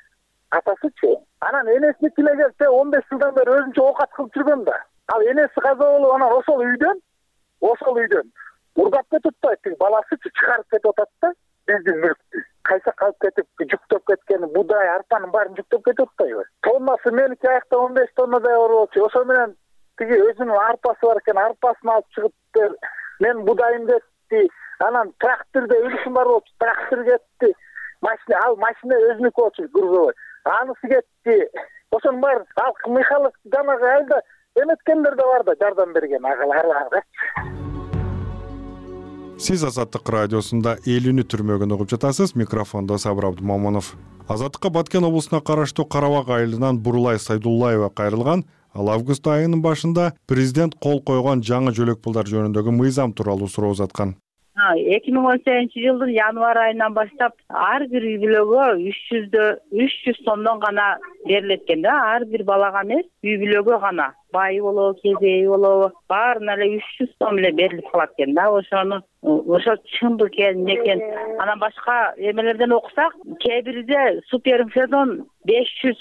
Атасычы. Анан энесиникине келсе он беш жылдан бери өзүнчө оокат кылып жүргөн да. Ал энеси каза болуп, анан ошол үйдөн, ошол үйдөн урдап кетип атпайт, баласычы чыгарып кетип атат да. Биздин мүлктү кайса калып кетип жүктөп кеткен будай арпанын баарын жүктөп кетип атпайбы? Тоннасы меники аякта он беш тоннадай болчу. Ошо менен тиги өзүнүн арпасы бар экен, арпасын алып чыгып мен будайым кетти. Анан трактордо үлүшүм бар болчу, трактор кетти. Машина, ал машина өзүнүкү болчу, грузовой. Анысы кетти. Ошонун баары ал Михайлов жанагы айылда эметкендер да бар да, жардам берген агаларга. Сиз Азаттык радиосунда эл үнү түрмөгүн угуп жатасыз. Микрофондо Сабыр Абдумамонов. Азаттыкка Баткен облусуна караштуу Карабак айылынан Бурулай Сайдуллаева кайрылган. Ал август айынын башында президент кол койгон жаңы жөлөк пулдар жөнүндөгү мыйзам тууралуу суроо узаткан. эки миң он сегизинчи жылдын январь айынан баштап ар бир үй бүлөгө үч жүздө үч жүз сомдон гана берилет экен да. Ар бир балага эмес, үй бүлөгө гана. Байы болобу, кезеи болобу, баарына эле үч жүз сом эле берилип калат экен да. Ошону ошо чындык экен, эмне экен. Анан башка эмелерден окусак, кээ бирде суперфедон беш жүз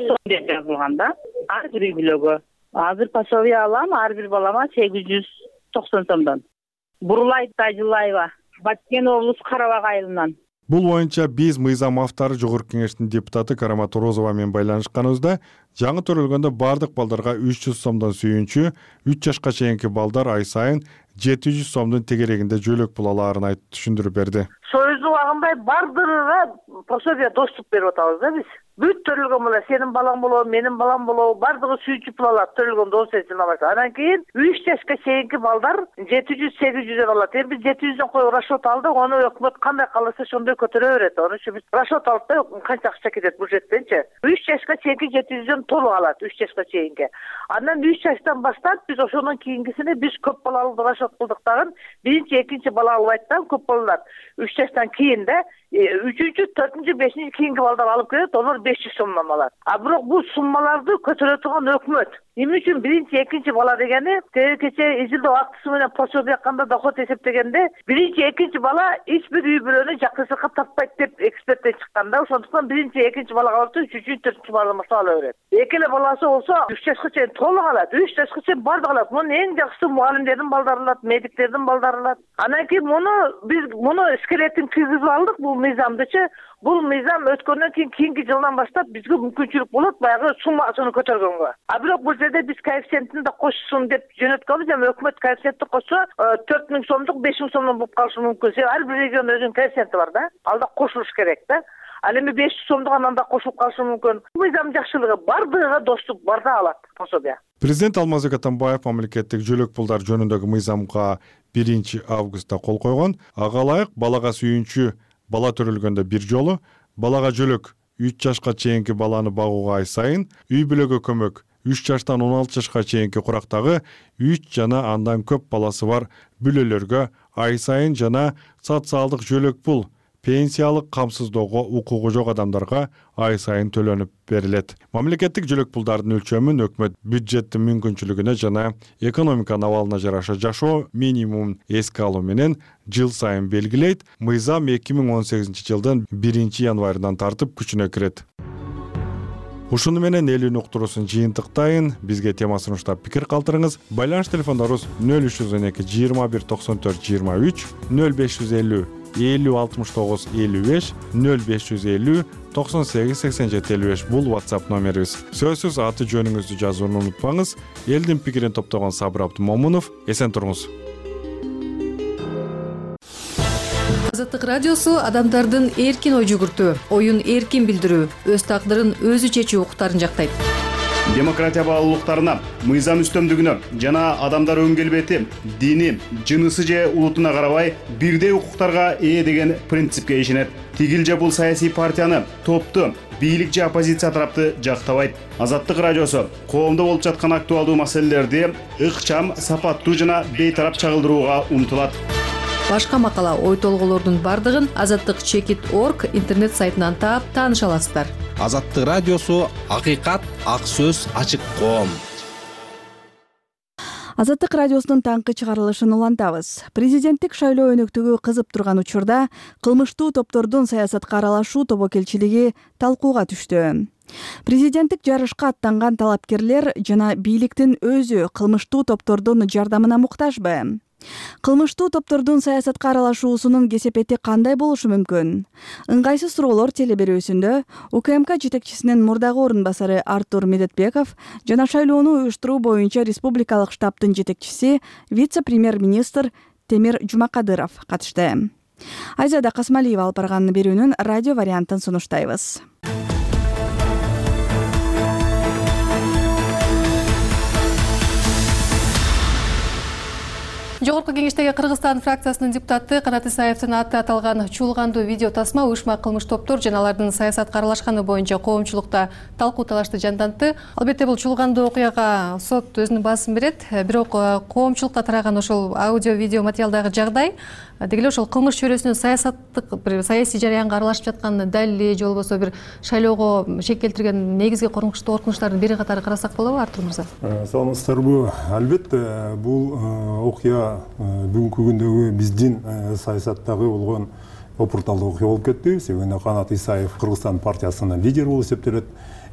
сом деп жазылган да. Ар бир үй бүлөгө. Азыр пособие алам, ар бир балама сегиз жүз токсон сомдон. Бурулай Тажылаева, Баткен облус Карабак айылынан. Бул боюнча биз мыйзам автору Жогорку Кеңештин депутаты Карамат Орозова менен байланышканыбызда жаңы төрөлгөндө бардык балдарга үч жүз сомдон сүйүнчү, үч жашка чейинки балдар ай сайын жети жүз сомдун тегерегинде жөлөк пул алаарын айтып түшүндүрүп берди. Союздун убагында бардыгына пособие доступ берип атабыз да биз. Бүт төрөлгөн бала, сенин балаң болобу, менин балам болобу, бардыгы сүйүнчү пул алат төрөлгөн доосuna баштап. Анан кийин үч жашка чейинки балдар жети жүз сегиз жүздөн алат. Эми биз жети жүздөн коюп расчет алдык, аны өкмөт кандай кааласа ошондой көтөрө берет. Аны үчүн биз расчет алып да канча акча кетет бюджеттенчи. үч жашка чейинки жети жүздөн толук алат, үч жашка чейинки. Андан үч жаштан баштап биз ошонун кийинкисине биз көп балалуу расчет кылдык дагы. Биринчи, экинчи бала албайт да, көп балалар. үч жаштан кийин да үчүнчү, төртүнчү, бешинчи кийинки балдар алып келет, алар беш жүз сомдон алат. А бирок бул суммаларды көтөрө турган өкмөт. Эмне үчүн биринчи, экинчи бала дегени, кече изилдөө актысы менен пособие акканда доход эсептегенде, биринчи, экинчи бала эч бир үй бүлөнү жакшыртып таппайт деп эксперттер чыккан да. Ошондуктан биринчи, экинчи балага алып, үчүнчү, төртүнчү баладан баштап ала берет. Эки эле баласы болсо үч жашка чейин толук алат, үч жашка чейин бардыгы алат. Мунун эң жакшысы мугалимдердин балдары алат, медиктердин балдары алат. Анан кийин муну биз муну скелетин киргизип алдык, бул мыйзамдычы. Бул мыйзам өткөндөн кийин кийинки жылдан баштап бизге мүмкүнчүлүк болот баягы суммасын көтөргөнгө. А бирок бул жерде биз коэффициентин да кошсун деп жөнөткөнбүз, эми өкмөт коэффициентти кошсо төрт миң сомдук, беш миң сомдон болуп калышы мүмкүн. Себеби ар бир регион өзүнүн коэффициенти бар да. Ал да кошулуш керек да. Ал эми беш жүз сомдук анан да кошулуп калышы мүмкүн. Мыйзам жакшылыгы бардыгына доступ барда алат пособие. Президент Алмазбек Атамбаев мамлекеттик жөлөк пулдар жөнүндөгү мыйзамга биринчи августта кол койгон. Ага ылайык балага сүйүнчү бала төрөлгөндө бир жолу, балага жөлөк үч жашка чейинки баланы багууга ай сайын, үй бүлөгө көмөк үч жаштан он алты жашка чейинки курактагы үч жана андан көп баласы бар бүлөлөргө ай сайын жана социалдык жөлөк пул пенсиялык камсыздоого укугу жок адамдарга ай сайын төлөнүп берилет. Мамлекеттик жөлөк пулдардын өлчөмүн өкмөт бюджеттин мүмкүнчүлүгүнө жана экономиканын абалына жараша жашоо минимумун эске алуу менен жыл сайын белгилейт. Мыйзам эки миң он сегизинчи жылдын биринчи январынан тартып күчүнө кирет. Ушуну менен элүүн уктуруусун жыйынтыктайын. Бизге тема сунуштап пикир калтырыңыз. Байланыш телефондорубуз нөл үч жүз он эки жыйырма бир токсон төрт жыйырма үч, нөл беш жүз элүү элүү алтымыш тогуз элүү беш, нөл беш жүз элүү токсон сегиз сексен жети элүү беш бул WhatsApp номерибиз. Сөзсүз аты жөнүңүздү жазууну унутпаңыз. Элдин пикирин топтогон Сабыр Абдымомунов. Эсен туруңуз. Азаттык радиосу адамдардын эркин ой жүгүртүү, оюн эркин билдирүү, өз тагдырын өзү чечүү укуктарын жактайт. Демократия баалуулуктарына, мыйзам үстөмдүгүнө жана адамдар өң келбети, дини, жынысы же улутуна карабай бирдей укуктарга ээ деген принципке ишенет. Тигил же бул саясий партияны, топту, бийлик же оппозиция тарапты жактабайт. Азаттык радиосу коомдо болуп жаткан актуалдуу маселелерди ыкчам, сапаттуу жана бейтарап чагылдырууга умтулат. Башка макала, ой толголордун бардыгын азаттык чекит точка орг интернет сайтынан таап тааныша аласыздар. Азаттык радиосу акыйкат, ак сөз, ачык коом. Азаттык радиосунун таңкы чыгарылышын улантабыз. Президенттик шайлоо өнөктүгү кызып турган учурда кылмыштуу топтордун саясатка аралашуу тобокелчилиги талкууга түштү. Президенттик жарышка аттанган талапкерлер жана бийликтин өзү кылмыштуу топтордун жардамына муктажбы? Кылмыштуу топтордун саясатка аралашуусунун кесепети кандай болушу мүмкүн? Ыңгайсыз суроолор телеберүүсүндө УКМК жетекчисинин мурдагы орун басары Артур Медетбеков жана шайлоону уюштуруу боюнча республикалык штабтын жетекчиси вице-премьер-министр Темир Жумакадыров катышты. Айзада Касмалиева алып барган берүүнүн радио вариантын сунуштайбыз. Жогорку Жогорку Кеңештеги Кыргызстан фракциясынын депутаты Канат Исаевдин аты аталган чуулгандуу видео тасма уюшма кылмыш топтор жана алардын саясатка аралашканы боюнча коомчулукта талкуу талашты жандантты. Албетте бул чуулгандуу окуяга сот өзүнүн баасын берет. Бирок коомчулукка тараган ошол аудио видео материалдагы жагдай деги эле ошол кылмыш чөйрөсүнүн саясаттык бир саясий жараянга аралашып жаткан далили же болбосо бир шайлоого шек келтирген негизги коркунучтуу коркунучтардын бири катары карасак болобу, Артур мырза? Саламатсыздарбы? Албетте бул окуя бүгүнкү күндөгү биздин саясаттагы болгон опурталдуу окуя болуп кетти. Себеби Канат Исаев Кыргызстан партиясынын лидери болуп эсептелет.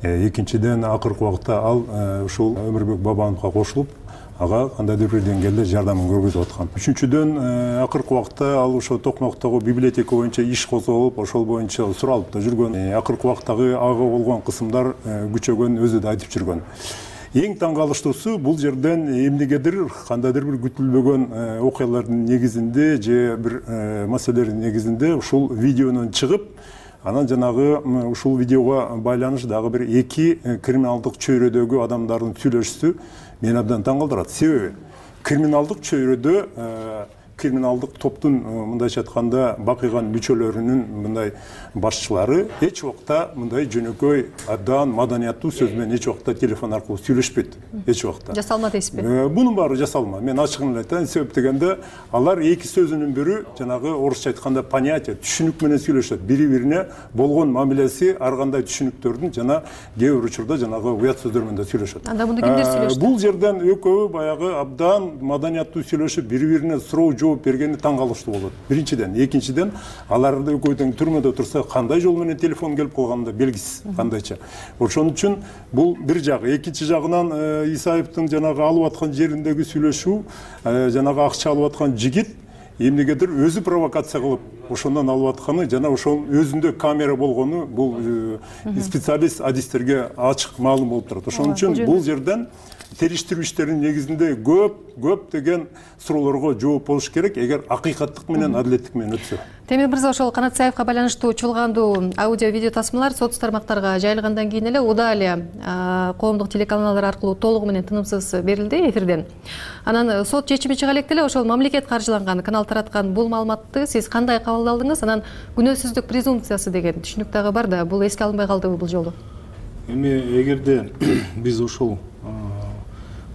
Экинчиден, акыркы убакта ал ушул Өмүрбек Бабановго кошулуп, ага кандайдыр бир деңгээлде жардамын көргөзүп аткан. Үчүнчүдөн, акыркы убакта ал ошо Токмоктогу библиотека боюнча иш козголуп, ошол боюнча суралып да жүргөн. Акыркы убактагы ага болгон кысымдар күчөгөн өзү да айтып жүргөн. Эң таң калыштуусу бул жерден эмнегедир кандайдыр бир күтүлбөгөн окуялардын негизинде же бир маселелердин негизинде ушул видеонун чыгып, анан жанагы ушул видеого байланыш дагы бир эки криминалдык чөйрөдөгү адамдардын сүйлөшүүсү мени абдан таң калтырат. Себеби криминалдык чөйрөдө криминалдык топтун мындайча айтканда бакыйган мүчөлөрүнүн мындай башчылары эч убакта мындай жөнөкөй абдан маданияттуу сөз менен эч убакта телефон аркылуу сүйлөшпөйт. Эч убакта. Жасалма дейсизби? Бунун баары жасалма. Мен ачыгын эле айтайын. Себеп дегенде алар эки сөзүнүн бирөө жанагы орусча айтканда понятие, түшүнүк менен сүйлөшөт. Бири-бирине болгон мамилеси ар кандай түшүнүктөрдүн жана кээ бир учурда жанагы уят сөздөр менен да сүйлөшөт. Анда муну кимдер сүйлөштү? Бул жерден экөө баягы абдан маданияттуу сүйлөшүп, бири-бирине суроо жооп бергени таң калыштуу болот. Биринчиден, экинчиден, аларды экөөдөн түрмөдө турса кандай жол менен телефон келип калганы да белгисиз, кандайча. Ошон үчүн бул бир жагы. Экинчи жагынан Исаевдин жанагы алып аткан жериндеги сүйлөшүү, жанагы акча алып аткан жигит эмнегедир өзү провокация кылып ошондон алып атканы жана ошол өзүндө камера болгону бул специалист адистерге ачык маалым болуп турат. Ошон үчүн бул жерден териштирүү иштеринин негизинде көп көп деген суроолорго жооп болуш керек, эгер акыйкаттык менен адилеттик менен өтсө. Темир мырза, ошол Канат Исаевга байланыштуу чуулгандуу аудио видео тасмалар сот тармактарга жайылгандан кийин эле удаа эле коомдук телеканалдар аркылуу толугу менен тынымсыз берилди эфирден. Анан сот чечими чыга электе эле ошол мамлекет каржыланган канал тараткан бул маалыматты сиз кандай кабылдадыңыз? Анан күнөөсүздүк презумпциясы деген түшүнүк дагы бар да, бул эске алынбай калдыбы бул жолу? Эми эгерде биз ошол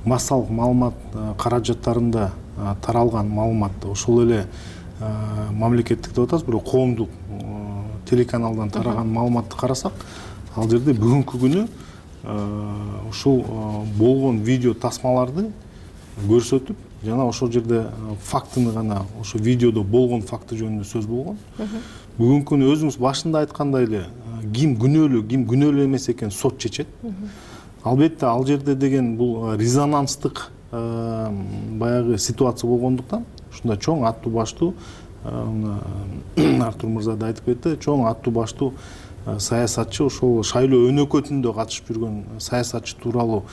массалык маалымат каражаттарында таралган маалыматты ошол эле мамлекеттик деп атабыз, бирок коомдук телеканалдан тараган маалыматты карасак, ал жерде бүгүнкү күнү ушул болгон видео тасмаларды көрсөтүп, жана ошол жерде фактыны гана, ошо видеодо болгон факты жөнүндө сөз болгон. Бүгүнкү күнү өзүңүз башында айткандай эле ким күнөөлүү, ким күнөөлүү эмес экен сот чечет. Албетте ал жерде деген бул резонанстык баягы ситуация болгондуктан ушундай чоң аттуу баштуу Артур мырза да айтып кетти, чоң аттуу баштуу саясатчы, ошол шайлоо өнөкөтүндө катышып жүргөн саясатчы тууралуу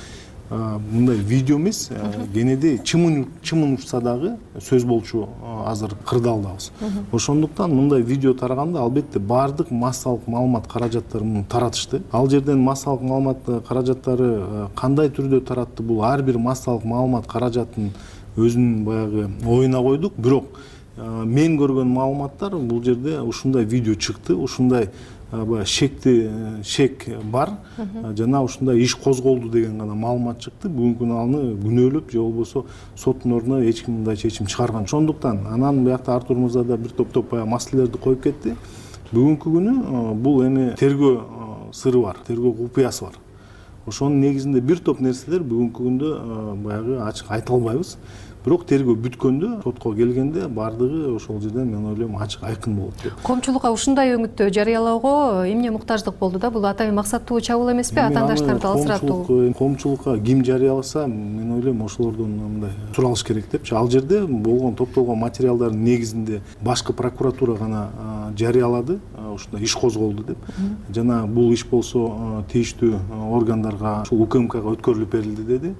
мындай видео эмес, кенеди чымын учса дагы сөз болчу азыр кырдаалдабыз. Ошондуктан мындай видео тараганда албетте баардык массалык маалымат каражаттарын таратышты. Ал жерден массалык маалымат каражаттары кандай түрдө таратты, бул ар бир массалык маалымат каражатын өзүнүн баягы оюна койдук. Бирок мен көргөн маалыматтар бул жерде ушундай видео чыкты, ушундай шекти шек бар, жана ушундай иш козголду деген гана маалымат чыкты. Бүгүнкү күнү аны күнөөлөп же болбосо соттун ордуна эч ким мындай чечим чыгарган. Ошондуктан анан биякта Артур мырза да бир топ-топ баягы маселелерди коюп кетти. Бүгүнкү күнү бул эми тергөө сыры бар, тергөө купуясы бар. Ошонун негизинде бир топ нерселер бүгүнкү күндө баягы ачык айта албайбыз. Бирок тергөө бүткөндө, сотко келгенде баардыгы ошол жерден мен ойлойм ачык айкын болот деп. Коомчулукка ушундай өңүттө жарыялоого эмне муктаждык болду да? Бул атайын максаттуу чабуул эмеспи? Атаандаштарды алсыратуу. Коомчулукка ким жарыяласа, мен ойлойм ошолордон мындай суралыш керек деп. Ал жерде болгон топтолгон материалдардын негизинде башкы прокуратура гана жарыялады, ушундай иш козголду деп. Жана бул иш болсо тийиштүү органдарга, ушул УКМКга өткөрүлүп берилди деди.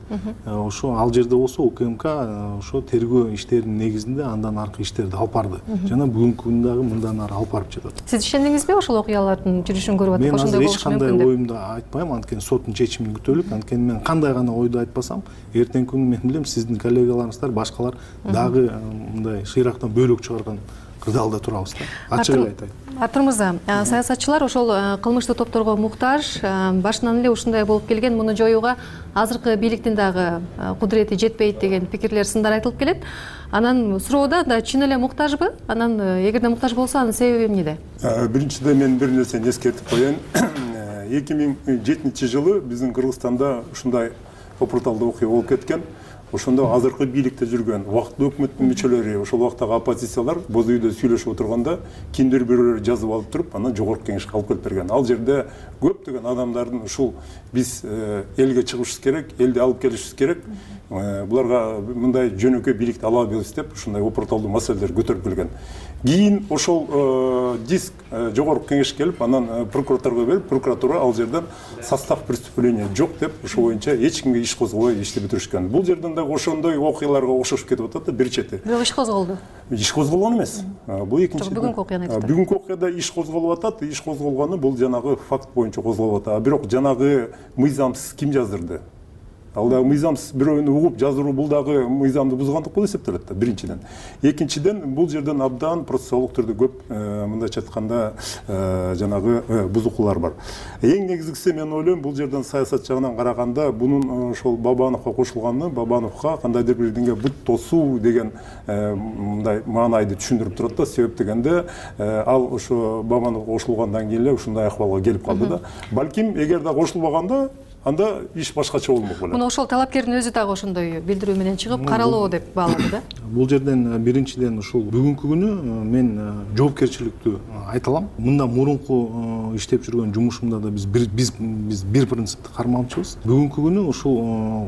Ошо ал жерде болсо УКМК ошо тергөө иштеринин негизинде андан аркы иштерди алып барды жана бүгүнкү күндө дагы мындан ары алып барып жатат. Сиз ишендиңизби ошол окуялардын жүрүшүн көрүп атып ошондой болушу мүмкүн деп? Мен азыр эч кандай оюмду айтпайм, анткени соттун чечимин күтөлүк. Анткени мен кандай гана ойду айтпасам, эртеңки күнү мен билем сиздин коллегаларыңыздар, башкалар дагы мындай шыйрактан бөлөк чыгарган кырдаалда турабыз да. Ачык эле айтайын. Артур мырза, саясатчылар ошол кылмыштуу топторго муктаж, башынан эле ушундай болуп келген, муну жоюуга азыркы бийликтин дагы кудурети жетпейт деген пикирлер, сындар айтылып келет. Анан суроо да чын эле муктажбы? Анан эгерде муктаж болсо, анын себеби эмнеде? Биринчиден мен бир нерсени эскертип коеюн. эки миң жетинчи жылы биздин Кыргызстанда ушундай опурталдуу окуя болуп кеткен. Ошондо азыркы бийликте жүргөн убактылуу өкмөттүн мүчөлөрү, ошол убактагы оппозициялар боз үйдө сүйлөшүп отурганда кимдир бирөөлөр жазып алып туруп, анан жогорку кеңешке алып келип берген. Ал жерде көптөгөн адамдардын ушул биз элге чыгышыбыз керек, элди алып келишибиз керек, буларга мындай жөнөкөй бийликти ала албайбыз деп ушундай опурталдуу маселелер көтөрүп келген. Кийин ошол диск жогорку кеңешке келип, анан прокуратурага берип, прокуратура ал жерден состав преступления жок деп, ошол боюнча эч кимге иш козгобой ишти бүтүрүшкөн. Бул жерден дагы ошондой окуяларга окшошуп кетип атат да бир чети. Бирок иш козголду. Иш козголгон эмес. Бул экинчи. Бүгүнкү окуяны айтат. Бүгүнкү окуяда иш козголуп атат, иш козголгону бул жанагы факт боюнча козголуп атат. Бирок жанагы мыйзамсыз ким жаздырды? Ал дагы мыйзамсыз бирөөнү угуп жаздыруу, бул дагы мыйзамды бузгандык болуп эсептелет да, биринчиден. Экинчиден, бул жерден абдан процессуалдык түрдө көп, мындайча айтканда, жанагы бузукулар бар. Эң негизгиси мен ойлойм, бул жерден саясат жагынан караганда, бунун ошол Бабановго кошулганы, Бабановго кандайдыр бир деңге бут тосуу деген мындай маанайды түшүндүрүп турат да. Себеп дегенде, ал ошо Бабановго кошулгандан кийин эле ушундай акыбалга келип калды да. Балким, эгер да кошулбаганда, анда иш башкача болмок болот. Муну ошол талапкердин өзү дагы ошондой билдирүү менен чыгып, каралоо деп баалады да. Бул жерден биринчиден ушул бүгүнкү күнү мен жоопкерчиликтүү айта алам. Мында мурунку иштеп жүргөн жумушумда да биз биз биз бир принципти кармалчубуз. Бүгүнкү күнү ушул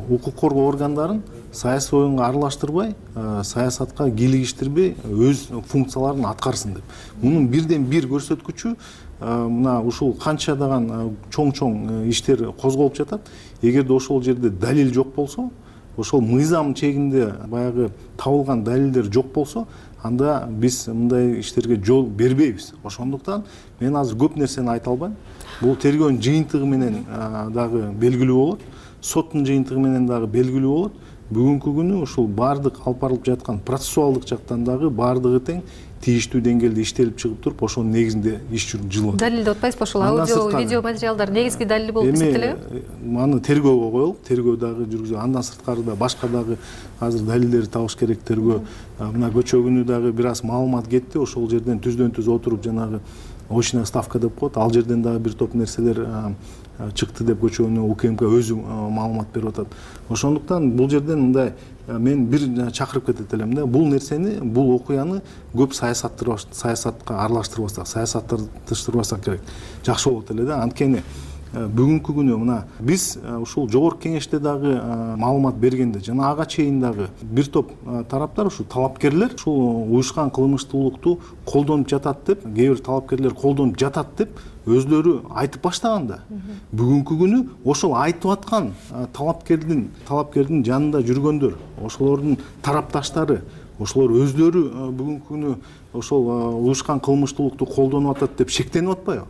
укук коргоо органдарын саясий оюнга аралаштырбай, саясатка кийлигиштирбей өз функцияларын аткарсын деп. Мунун бирден бир көрсөткүчү мына ушул канчадаган чоң-чоң иштер козголуп жатат. Эгерде ошол жерде далил жок болсо, ошол мыйзам чегинде баягы табылган далилдер жок болсо, анда биз мындай иштерге жол бербейбиз. Ошондуктан мен азыр көп нерсени айта албайм. Бул тергөөнүн жыйынтыгы менен дагы белгилүү болот, соттун жыйынтыгы менен дагы белгилүү болот. Бүгүнкү күнү ушул баардык алып барылып жаткан процессуалдык жактан дагы баардыгы тең тийиштүү деңгээлде иштелип чыгып туруп, ошонун негизинде иш жүрүп атат. Далилди отпайсызбы ошол аудио, видео материалдар негизги далил болуп эсептелеби? Аны тергөөгө коелук, тергөө дагы жүргүзүп, андан сырткары да башка дагы азыр далилдерди табыш керек тергөө. Мына көчө күнү дагы бир аз маалымат кетти, ошол жерден түздөн түз отуруп жанагы очная ставка деп коет, ал жерден дагы бир топ нерселер чыкты деп көчөнү УКМК өзү маалымат берип атат. Ошондуктан бул жерден мындай мен бир чакырып кетет элем да, бул нерсени, бул окуяны көп саясатка аралаштырбасак, саясатташтырбасак керек. Жакшы болот эле да. Анткени бүгүнкү күнү мына биз ушул жогорку кеңеште дагы маалымат бергенде жана ага чейин дагы бир топ тараптар, ушул талапкерлер ушул уюшкан кылмыштуулукту колдонуп жатат деп, кээ бир талапкерлер колдонуп жатат деп өзлөрү айтып баштаганда, бүгүнкү күнү ошол айтып аткан талапкердин талапкердин жанында жүргөндөр, ошолордун тарапташтары, ошолор өздөрү бүгүнкү күнү ошол уюшкан кылмыштуулукту колдонуп атат деп шектенип атпайбы?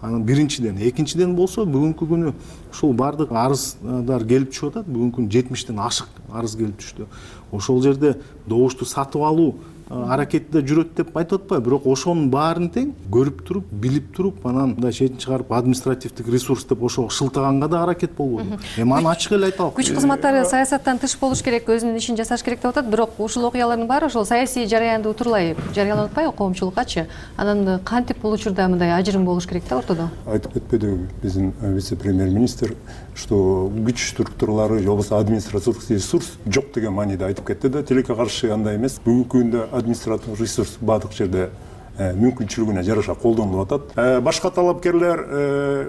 Анан биринчиден, экинчиден болсо бүгүнкү күнү ушул баардык арыздар келип түшүп атат. Бүгүнкү күнү жетимиштен ашык арыз келип түштү. Ошол жерде добушту сатып алуу аракети да жүрөт деп айтып атпайбы? Бирок ошонун баарын тең көрүп туруп, билип туруп, анан мындай чечим чыгарып административдик ресурс деп ошого шылтаганга да аракет болбойбу? Эми аны ачык эле айта алам. Күч кызматтары саясаттан тыш болуш керек, өзүнүн ишин жасаш керек деп атат. Бирок ушул окуялардын баары ошол саясий жараянда утурлай жарыяланып атпайбы коомчулуккачы? Анан кантип бул учурда мындай ажырым болуш керек да ортодо? Айтып кетпедиби биздин вице-премьер-министр, что күч структуралары же болбосо административдик ресурс жок деген мааниде айтып кетти да. Тилекке каршы андай эмес. Бүгүнкү күндө административдик ресурс баардык жерде мүмкүнчүлүгүнө жараша колдонулуп атат. Башка талапкерлер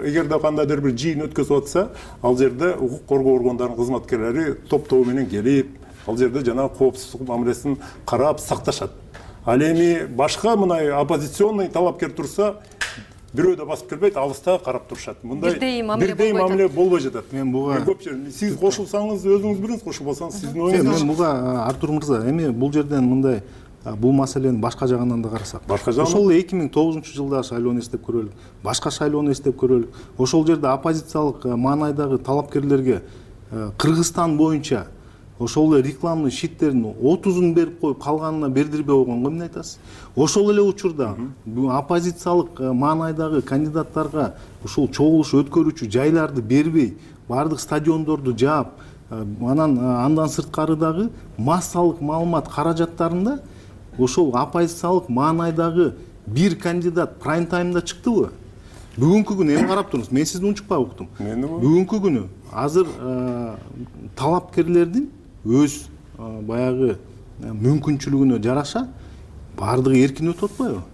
эгерде кандайдыр бир жыйын өткөзүп атса, ал жерде укук коргоо органдарынын кызматкерлери топтоо менен келип, ал жерде жана коопсуздук мамилесин карап сакташат. Ал эми башка мындай оппозиционный талапкер турса, бирөө да басып келбейт, алыста карап турушат. Мындай бирдей мамиле бирдей мамиле болбой жатат. Мен буга сиз кошулсаңыз өзүңүз билиңиз, кошулбасаңыз сиздин оюңуз. Мен буга Артур мырза, эми бул жерден мындай бул маселени башка жагынан да карасак. Башка жагынан ошол эки миң тогузунчу жылдагы шайлоону эстеп көрөлүк. Башка шайлоону эстеп көрөлүк. Ошол жерде оппозициялык маанайдагы талапкерлерге Кыргызстан боюнча ошол эле рекламный щиттердин отузун берип коюп, калганына бердирбей койгонго эмне айтасыз? Ошол эле учурда оппозициялык маанайдагы кандидаттарга ушул чогулуш өткөрүүчү жайларды бербей, бардык стадиондорду жаап, анан андан сырткары дагы массалык маалымат каражаттарында ошол оппозициялык маанайдагы бир кандидат прайм таймда чыктыбы? Бүгүнкү күнү эми карап туруңуз, мен сизди унчукпай уктум. Бүгүнкү күнү азыр талапкерлердин өз баягы мүмкүнчүлүгүнө жараша баардыгы эркин өтүп атпайбы?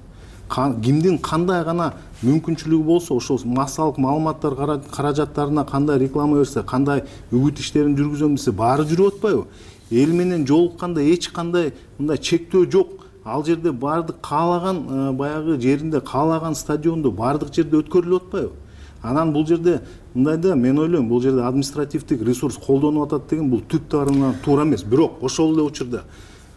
Кимдин кандай гана мүмкүнчүлүгү болсо, ошол массалык маалыматтар каражаттарына кандай реклама берсе, кандай үгүт иштерин жүргүзөм десе, баары жүрүп атпайбы? Эл менен жолукканда эч кандай мындай чектөө жок. Ал жерде баардык каалаган баягы жеринде, каалаган стадиондо баардык жерде өткөрүлүп атпайбы? Анан бул жерде мындай да, мен ойлойм, бул жерде административдик ресурс колдонуп атат деген бул түп тарынан туура эмес. Бирок ошол эле учурда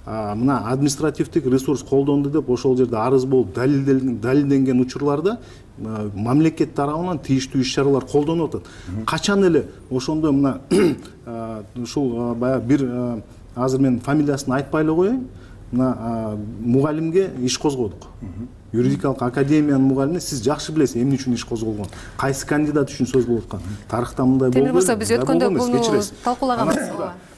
мына административдик ресурс колдонду деп ошол жерде арыз болуп далилденген учурларда мамлекет тарабынан тийиштүү иш-чаралар колдонуп атат. Качан эле ошондой мына ушул баягы бир азыр мен фамилиясын айтпай эле коеюн, мына мугалимге иш козгодук. Юридикалык академиянын мугалимине сиз жакшы билесиз эмне үчүн иш козголгон, кайсы кандидат үчүн сөз болуп аткан. Тарыхта мындай болду. Темир мырза, биз өткөндө буну талкуулаганбыз.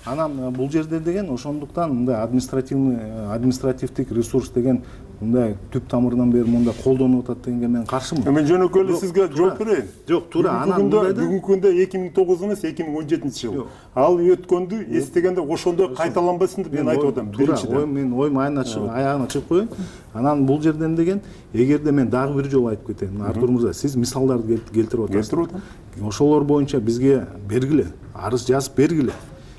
Анан бул жерде деген ошондуктан мындай административный административдик ресурс деген мындай түп тамырынан бери мындай колдонуп атат дегенге мен каршымын. Мен жөнөкөй эле сизге жооп берейин. Жок, туура. Анан мындайда бүгүнкү күндө эки миң тогуз эмес, эки миң он жетинчи жыл. Ал өткөндү эстегенде ошондой кайталанбасын деп мен айтып атам. Биринчиден мен оюм аягына чыгып коеюн. Анан бул жерден деген, эгерде мен дагы бир жолу айтып кетейин, Артур мырза, сиз мисалдарды келтирип атасыз. Келтирип атам. Ошолор боюнча бизге бергиле, арыз жазып бергиле.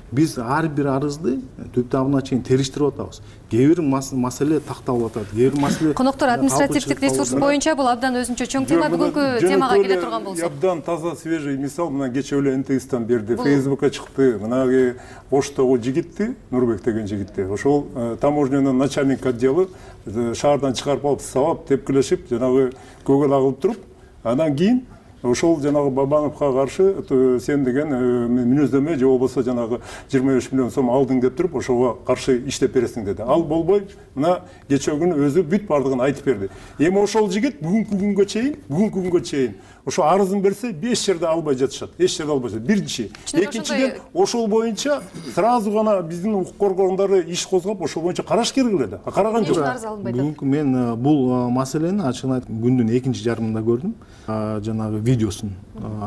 Биз ар бир арызды түп табына чейин териштирип атабыз. Кээ бир маселе такталып атат, кээ бир маселе. Коноктор, административдик ресурс боюнча бул абдан өзүнчө чоң тема. Бүгүнкү темага келе турган болсок. Абдан таза, свежий мисал мына кечээ эле эн тэ эстен берди, Фейсбукка чыкты. Мына Оштогу жигитти, Нурбек деген жигитти. Ошол таможнянын начальник отделы шаардан чыгарып алып, сабап, тепкилешип, жанагы көгөл агылып туруп, андан кийин ошол жанагы Бабановго каршы сен деген мүнөздөмө же болбосо жанагы жыйырма беш миллион сом алдың деп туруп, ошого каршы иштеп бересиң деди. Ал болбой, мына кечээ күнү өзү бүт бардыгын айтып берди. Эми ошол жигит бүгүнкү күнгө чейин, бүгүнкү күнгө чейин ошо арызын берсе беш жерде албай жатышат. Эч жерде албай жатышат. Биринчи. Экинчиден, ошол боюнча сразу гана биздин укук коргондору иш козгоп, ошол боюнча караш керек эле да. Караган жок. Бүгүнкү мен бул маселени ачыгын айтып күндүн экинчи жарымында көрдүм. Жанагы видеосун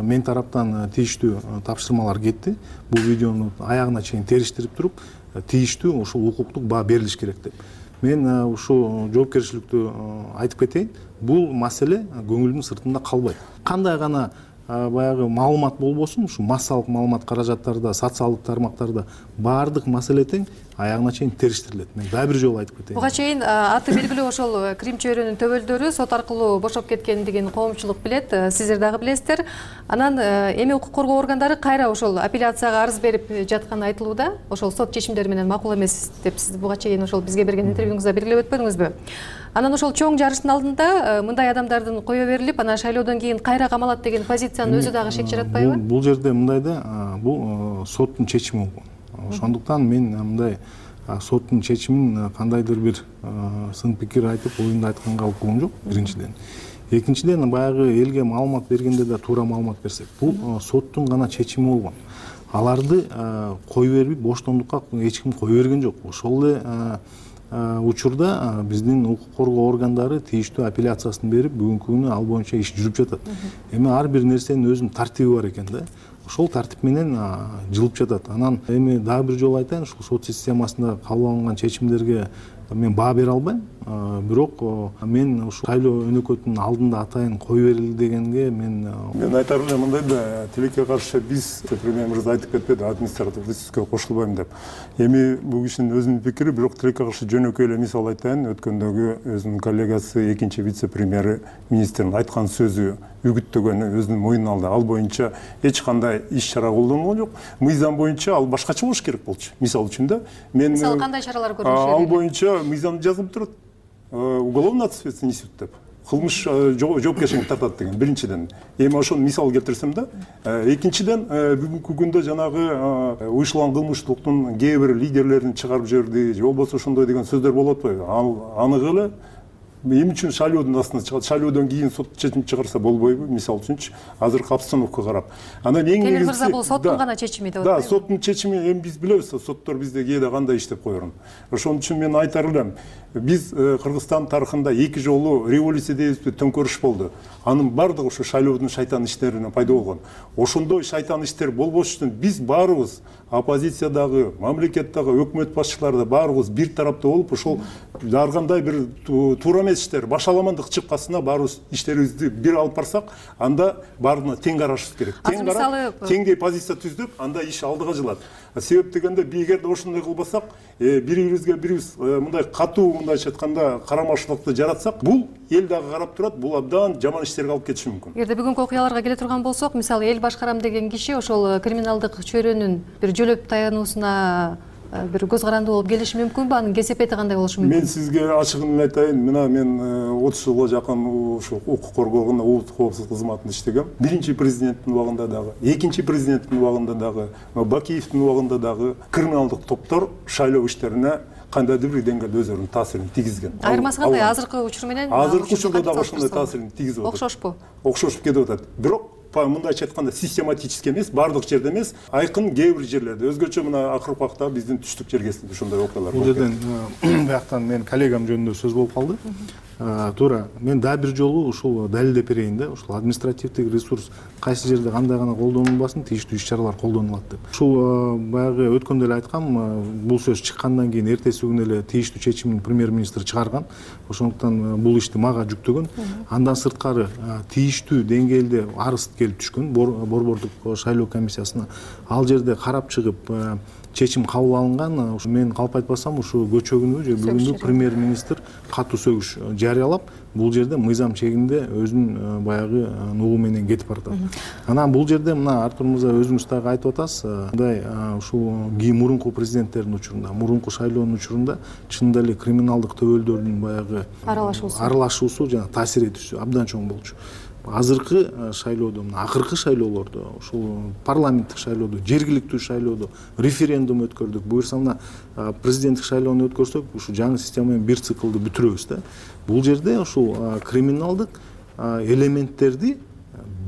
мен тараптан тийиштүү тапшырмалар кетти. Бул видеону аягына чейин териштирип туруп, тийиштүү ошол укуктук баа берилиш керек деп. Мен ушул жоопкерчиликтүү айтып кетейин. Бул маселе көңүлдүн сыртында калбайт. Кандай гана баягы маалымат болбосун, ушу массалык маалымат каражаттарда, социалдык тармактарда баардык маселе тең аягына чейин териштирилет. Мен дагы бир жолу айтып кетейин. Буга чейин аты белгилүү ошол Крим чөйрөнүн төбөлдөрү сот аркылуу бошоп кеткендигин коомчулук билет, сиздер дагы билесиздер. Анан эми укук коргоо органдары кайра ошол апелляцияга арыз берип жатканы айтылууда. Ошол сот чечимдери менен макул эмес деп сиз буга чейин ошол бизге берген интервьюңузда белгилеп өтпөдүңүзбү? Анан ошол чоң жарыштын алдында мындай адамдардын кое берилип, анан шайлоодон кийин кайра камалат деген позициянын өзү дагы шек жаратпайбы? Бул жерде мындай да, бул соттун чечими болгон. Ошондуктан мен мындай соттун чечимин кандайдыр бир сын пикир айтып, оюмду айтканга укугум жок, биринчиден. Экинчиден, баягы элге маалымат бергенде да туура маалымат берсек, бул соттун гана чечими болгон. Аларды кой берип, боштондукка эч ким кой берген жок. Ошол эле учурда биздин укук коргоо органдары тийиштүү апелляциясын берип, бүгүнкү күнү ал боюнча иш жүрүп жатат. Эми ар бир нерсенин өзүнүн тартиби бар экен да. Ошол тартип менен жылып жатат. Анан эми дагы бир жолу айтайын, ушул сот системасында кабыл алынган чечимдерге мен баа бере албайм, бирок мен ушул шайлоо өнөкөтүнүн алдында атайын кой берилди дегенге мен мен айтар элем мындай да, тилекке каршы биз премьер мырза айтып кетпеди административдик ресурска кошулбайм деп. Эми бул кишинин өзүнүн пикири, бирок тилекке каршы жөнөкөй эле мисал айтайын. Өткөндөгү өзүнүн коллегасы экинчи вице-премьери министрдин айткан сөзү үгүттөгөнү өзүнүн мойнуна алды. Ал боюнча эч кандай иш чара колдонулгон жок. Мыйзам боюнча ал башкача болуш керек болчу. Мисалы үчүн да, мен мисалы кандай чаралар көрүлүшү керек? Ал боюнча мыйзамда жазылып турат. Уголовный ответственность несет деп. Кылмыш жоопкерчиликке тартат деген биринчиден. Эми ошону мисал келтирсем да, экинчиден бүгүнкү күндө жанагы уюштурулган кылмыштуулуктун кээ бир лидерлерин чыгарып жиберди, же болбосо ошондой деген сөздөр болуп атпайбы? Ал анык эле эмне үчүн шайлоодун астына чыгат? Шайлоодон кийин сот чечим чыгарса болбойбу? Мисалы үчүнчү азыркы обстановкага карап. Анан эң негизгиси мырза, бул соттун гана чечими деп атпайбы? Да, соттун чечими. Эми биз билебиз, соттор бизде кээде кандай иштеп койорун. Ошон үчүн мен айтар элем, биз Кыргызстан тарыхында эки жолу революция дейбизби, төңкөрүш болду. Анын баардыгы ошо шайлоодун шайтан иштеринен пайда болгон. Ошондой шайтан иштер болбош үчүн биз баарыбыз оппозициядагы, мамлекеттеги өкмөт башчылары да баарыбыз бир тарапта болуп, ошол ар кандай бир туура эмес иштер, башаламандык чыккасына баарыбыз иштерибизди бир алып барсак, анда баарына тең карашыбыз керек. Тең карап, теңдей позиция түзүп, анда иш алдыга жылат. Себеп дегенде эгерде ошондой кылбасак, бири-бирибизге бирибиз мындай катуу, мындайча айтканда карамашылыкты жаратсак, бул эл дагы карап турат, бул абдан жаман иштерге алып кетиши мүмкүн. Эгерде бүгүнкү окуяларга келе турган болсок, мисалы эл башкарам деген киши ошол криминалдык чөйрөнүн бир жөлөп таянуусуна бир көз каранды болуп келиши мүмкүнбү? Анын кесепети кандай болушу мүмкүн? Мен сизге ачыгын эле айтайын, мына мен отуз жылга жакын ушу укук коргоогунда, улуттук коопсуздук кызматында иштегем. Биринчи президенттин убагында дагы, экинчи президенттин убагында дагы, Бакиевдин убагында дагы криминалдык топтор шайлоо иштерине кандайдыр бир деңгээлде өздөрүнүн таасирин тийгизген. Айырмасы кандай? Азыркы учур менен азыркы учурда дагы ошондой таасирин тийгизип атат. Окшошпу? Окшошуп кетип атат. Бирок мындайча айтканда систематически эмес, баардык жерде эмес, айкын кээ бир жерлерде. Өзгөчө мына акыркы убакта биздин түштүк жеркесинде ошондой окуялар болуп кетти. Бул жерден бияктан мен коллегам жөнүндө сөз болуп калды. Туура, мен дагы бир жолу ушул далилдеп берейин да, ушул административдик ресурс кайсы жерде кандай гана колдонулбасын, тийиштүү иш чаралар колдонулат деп. Ушул баягы өткөндө эле айткам, бул сөз чыккандан кийин эртеси күнү эле тийиштүү чечимин премьер-министр чыгарган. Ошондуктан бул ишти мага жүктөгөн. Андан сырткары тийиштүү деңгээлде арыз келип түшкөн борбордук шайлоо комиссиясына. Ал жерде карап чыгып чечим кабыл алынган. Мен калп айтпасам, ушу көчө күнү же бүгүнкү премьер-министр катуу сөгүш жарыялап, бул жерде мыйзам чегинде өзүнүн баягы нугу менен кетип баратат. Анан бул жерде мына Артур мырза өзүңүз дагы айтып атасыз, мындай ушул мурунку президенттердин учурунда, мурунку шайлоонун учурунда чынында эле криминалдык төбөлдөрдүн баягы аралашуусу аралашуусу жана таасир этүүсү абдан чоң болчу. Азыркы шайлоодо, акыркы шайлоолордо, ушул парламенттик шайлоодо, жергиликтүү шайлоодо референдум өткөрдүк. Буюрса мына президенттик шайлоону өткөрсөк, ушу жаңы система менен бир циклды бүтүрөбүз да. Бул жерде ушул криминалдык элементтерди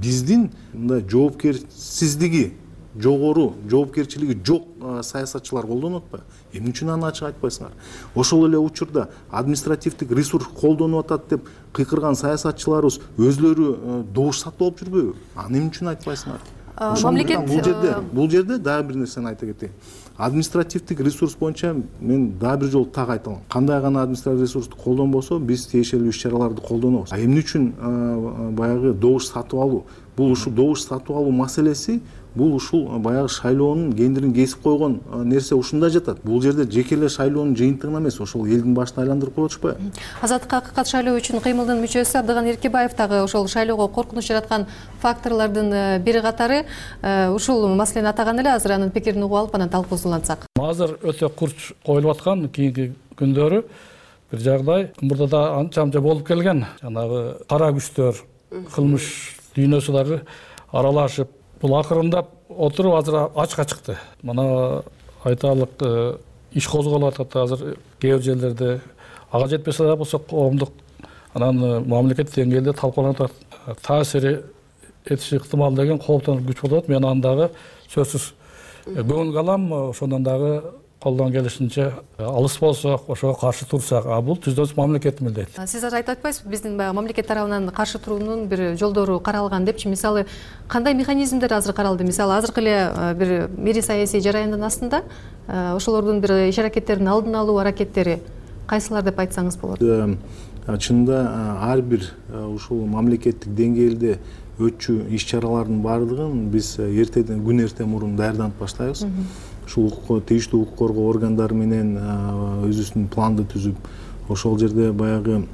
биздин мындай жоопкерсиздиги, жогору жоопкерчилиги жок саясатчылар колдонуп атпайбы? Эмне үчүн аны ачык айтпайсыңар? Ошол эле учурда административдик ресурс колдонуп атат деп кыйкырган саясатчыларыбыз өзлөрү добуш сатып алып жүрбөйбү? Аны эмне үчүн айтпайсыңар? Мамлекет бул жерде, бул жерде дагы бир нерсени айта кетейин. Административдик ресурс боюнча мен дагы бир жолу так айталам. Кандай гана административдик ресурсту колдонбосо, биз тиешелүү иш чараларды колдонобуз. А эмне үчүн баягы добуш сатып алуу? Бул ушул добуш сатып алуу маселеси бул ушул баягы шайлоонун кендирин кесип койгон нерсе ушунда жатат. Бул жерде жеке эле шайлоонун жыйынтыгына эмес, ошол элдин башын айландырып коюп атышпайбы? Азаттыкка акыйкат шайлоо үчүн кыймылдын мүчөсү Абдыган Эркебаев дагы ошол шайлоого коркунуч жараткан факторлордун бири катары ушул маселени атаган эле. Азыр анын пикирин угуп алып, анан талкуусун улантсак. Азыр өтө курч коюлуп аткан кийинки күндөрү бир жагдай мурда да анча-мынча болуп келген. Жанагы кара күчтөр, кылмыш дүйнөсү дагы аралашып, бул акырындап отуруп азыр ачыкка чыкты. Мына айталык иш козголуп атат азыр кээ бир жерлерде. Ага жетпесе да болсо коомдук анан мамлекет деңгээлде талкууланып атат. Таасир этиши ыктымал деген кооптонуп күч болот. Мен андагы сөзсүз көңүл алам. Ошондон дагы колдон келишинче алыс болсок, ошого каршы турсак, а бул түздөн мамлекеттин милдети. Сиз азыр айтып атпайсызбы, биздин баягы мамлекет тарабынан каршы туруунун бир жолдору каралган депчи? Мисалы, кандай механизмдер азыр каралды? Мисалы, азыркы эле бир мири саясий жараяндын астында ошолордун бир иш аракеттерин алдын алуу аракеттери кайсылар деп айтсаңыз болот? Чынында ар бир ушул мамлекеттик деңгээлде өтчү иш чаралардын баардыгын биз эртеден күн эртең мурун даярданып баштайбыз. Ушул тийиштүү укук коргоо органдары менен өзүбүздүн планды түзүп, ошол жерде баягы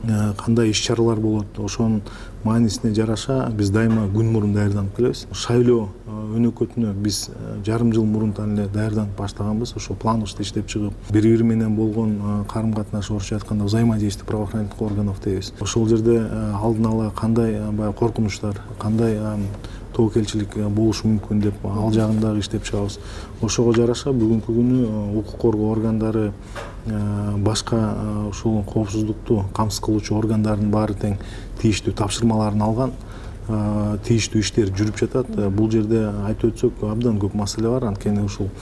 кандай иш чаралар болот, ошонун маанисине жараша биз дайыма күн мурун даярданып келебиз. Шайлоо өнөкөтүнө биз жарым жыл мурунтан эле даярданып баштаганбыз. Ошол планыбызды иштеп чыгып, бири бири менен болгон карым катнаш, орусча айтканда взаимодействие правоохранительных органов дейбиз. Ошол жерде алдын ала кандай баягы коркунучтар, кандай тобокелчилик болушу мүмкүн деп ал жагын дагы иштеп чыгабыз. Ошого жараша бүгүнкү күнү укук коргоо органдары, башка ушул коопсуздукту камсыз кылуучу органдардын баары тең тийиштүү тапшырмаларын алган, тийиштүү иштер жүрүп жатат. Бул жерде айтып өтсөк абдан көп маселе бар. Анткени ушул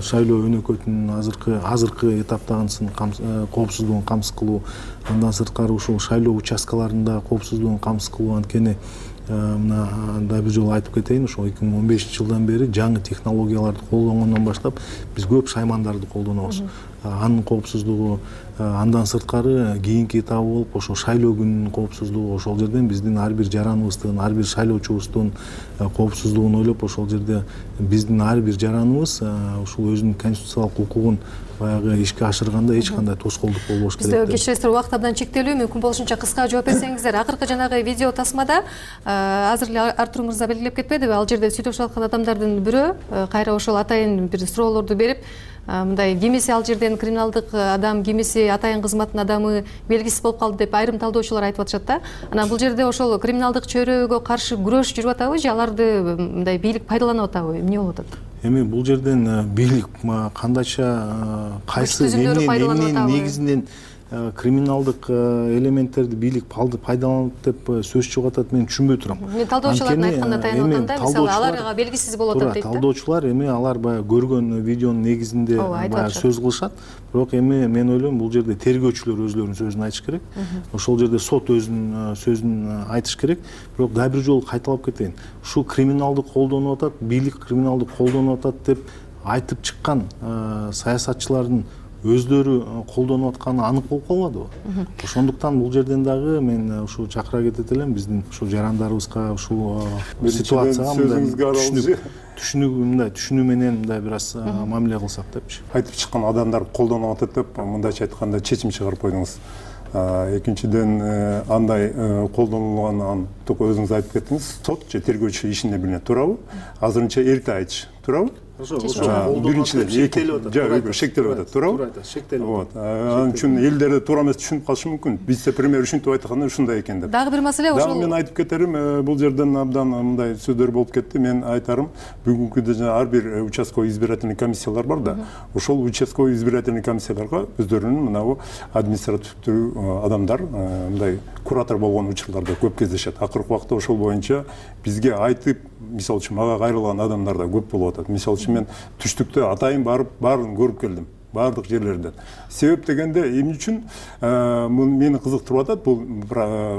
шайлоо өнөкөтүнүн азыркы азыркы этаптагысын коопсуздугун камсыз кылуу, андан сырткары ушул шайлоо участкаларында коопсуздугун камсыз кылуу. Анткени мына да бир жолу айтып кетейин, ошол эки миң он бешинчи жылдан бери жаңы технологияларды колдонгондон баштап биз көп шаймандарды колдонобуз. Анын коопсуздугу, андан сырткары кийинки этабы болуп ошол шайлоо күнүнүн коопсуздугу, ошол жерден биздин ар бир жараныбыздын, ар бир шайлоочубуздун коопсуздугун ойлоп, ошол жерде биздин ар бир жараныбыз ушул өзүнүн конституциялык укугун баягы ишке ашырганда эч кандай тоскоолдук болбош керек деп. Бизде кечиресиздер, убакыт абдан чектелүү, мүмкүн болушунча кыска жооп берсеңиздер. Акыркы жанагы видео тасмада азыр эле Артур мырза белгилеп кетпедиби, ал жерде сүйлөшүп аткан адамдардын бирөө кайра ошол атайын бир суроолорду берип, мындай кимиси ал жерден криминалдык адам, кимиси атайын кызматтын адамы белгисиз болуп калды деп айрым талдоочулар айтып атышат да. Анан бул жерде ошол криминалдык чөйрөгө каршы күрөш жүрүп атабы же аларды мындай бийлик пайдаланып атабы? Эмне болуп атат? Эми бул жерден бийлик кандайча кайсы эмненин негизинен криминалдык элементтерди бийлик пайдаланат деп сөз чыгып атат, мен түшүнбөй турам. Мен талдоочулардын айтканда таянып атам да, мисалы аларга белгисиз болуп атат дейт да. Талдоочулар эми алар баягы көргөн видеонун негизинде баягы сөз кылышат. Бирок эми мен ойлойм, бул жерде тергөөчүлөр өзүлөрүнүн сөзүн айтыш керек. Ошол жерде сот өзүнүн сөзүн айтыш керек. Бирок дагы бир жолу кайталап кетейин. Ушул криминалдык колдонуп атат, бийлик криминалдык колдонуп атат деп айтып чыккан саясатчылардын өздөрү колдонуп атканы анык болуп калбадыбы? Ошондуктан бул жерден дагы мен ушул чакыра кетет элем, биздин ушул жарандарыбызга ушул ситуацияга мындай түшүнүк мындай түшүнүү менен мындай бир аз мамиле кылсак депчи. Айтып чыккан адамдар колдонуп атат деп мындайча айтканда чечим чыгарып койдуңуз. Экинчиден, андай колдонулганын өзүңүз айтып кеттиңиз, сот же тергөөчү ишинде билинет, туурабы? Азырынча эрте айтыш, туурабы? Биринчиден эки шектелип атат, туурабы? Вот. Анын үчүн элдерде туура эмес түшүнүп калышы мүмкүн. Вице премьер ушинтип айтканда ушундай экен деп. Дагы бир маселе ошол. Дагы мен айтып кетерим, бул жерден абдан мындай сөздөр болуп кетти. Мен айтарым, бүгүнкү жана ар бир участковый избирательный комиссиялар бар да. Ошол участковый избирательный комиссияларга өздөрүнүн мынабу административдүү адамдар, мындай куратор болгон учурларда көп кездешет. Акыркы убакта ошол боюнча бизге айтып, мисалы үчүн мага кайрылган адамдар да көп болуп атат. Мисалы үчүн мен түштүктө атайын барып баарын көрүп келдим, баардык жерлерден. Себеп дегенде эмне үчүн мени кызыктырып атат бул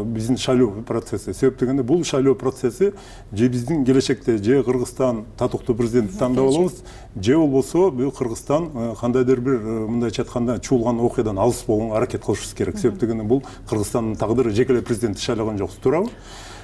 биздин шайлоо процесси. Себеп дегенде бул шайлоо процесси же биздин келечекте же Кыргызстан татыктуу президентти тандап алабыз, же болбосо бул Кыргызстан кандайдыр бир мындайча айтканда чуулган окуядан алыс болгонго аракет кылышыбыз керек. Себеп дегенде бул Кыргызстандын тагдыры, жеке эле президентти шайлаган жоксуз, туурабы?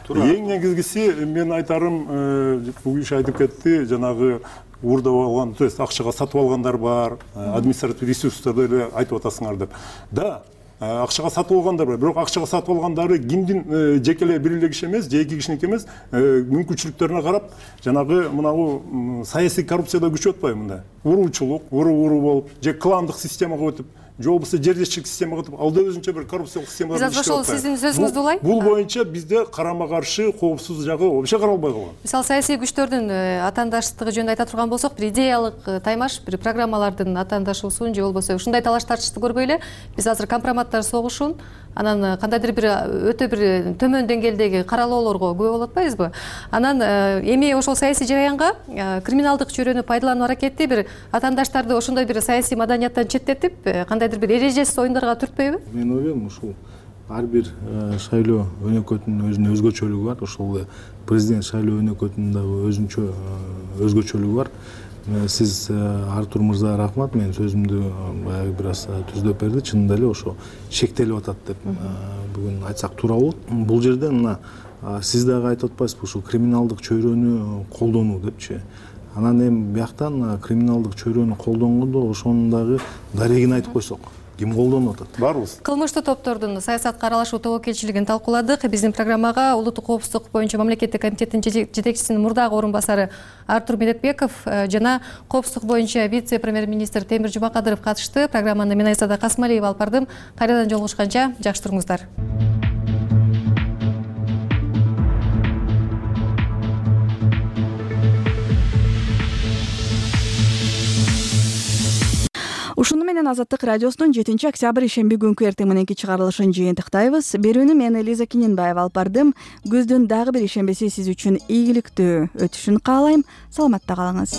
Эң негизгиси мен айтарым, бул киши айтып кетти, жанагы уурдап алган, то есть акчага сатып алгандар бар, административдик ресурстарды эле айтып атасыңар деп. Да, акчага сатып алгандар бар, бирок акчага сатып алгандары кимдин жеке эле бир эле киши эмес, же эки кишиники эмес, мүмкүнчүлүктөрүнө карап, жанагы мынабу саясий коррупцияда күчүп атпайбы мындай? Уруучулук, уру-уру болуп, же кландык системага өтүп, же болбосо жердешчилик системага өтүп, ал да өзүнчө бир коррупциялык система. Биз азыр ошол сиздин сөзүңүз улай. Бул боюнча бизде карама каршы коопсуз жагы вообще каралбай калган. Мисалы саясий күчтөрдүн атаандаштыгы жөнүндө айта турган болсок, бир идеялык таймаш, бир программалардын атаандашуусун же болбосо ушундай талаш тартышты көрбөй эле биз азыр компроматтар согушун, анан кандайдыр бир өтө бир төмөн деңгээлдеги каралоолорго күбө болуп атпайбызбы? Анан эми ошол саясий жараянга криминалдык чөйрөнү пайдалануу аракети бир атаандаштарды ошондой бир саясий маданияттан четтетип, кандайдыр бир эрежесиз оюндарга түртпөйбү? Мен ойлойм, ушул ар бир шайлоо өнөкөтүнүн өзүнүн өзгөчөлүгү бар. Ошол президент шайлоо өнөкөтүнүн дагы өзүнчө өзгөчөлүгү бар. Сиз Артур мырза рахмат, менин сөзүмдү баягы бир аз түздөп берди. Чынында эле ошо шектелип атат деп бүгүн айтсак туура болот. Бул жерде мына сиз дагы айтып атпайсызбы, ушул криминалдык чөйрөнү колдонуу депчи. Анан эми бияктан криминалдык чөйрөнү колдонгондо ошонун дагы дарегин айтып койсок, ким колдонуп атат? Баарыбыз. Кылмыштуу топтордун саясатка аралашуу тобокелчилигин талкууладык. Биздин программага улуттук коопсуздук боюнча мамлекеттик комитеттин жетекчисинин мурдагы орун басары Артур Медетбеков жана коопсуздук боюнча вице-премьер-министр Темир Жумакадыров катышты. Программаны мен Айзада Касмалиева алып бардым. Кайрадан жолугушканча жакшы туруңуздар. Ушуну менен Азаттык радиосунун жетинчи октябрь ишемби күнкү эртең мененки чыгарылышын жыйынтыктайбыз. Берүүнү мен Элиза Киненбаева алып бардым. Күздүн дагы бир ишембиси сиз үчүн ийгиликтүү өтүшүн каалайм. Саламатта калыңыз.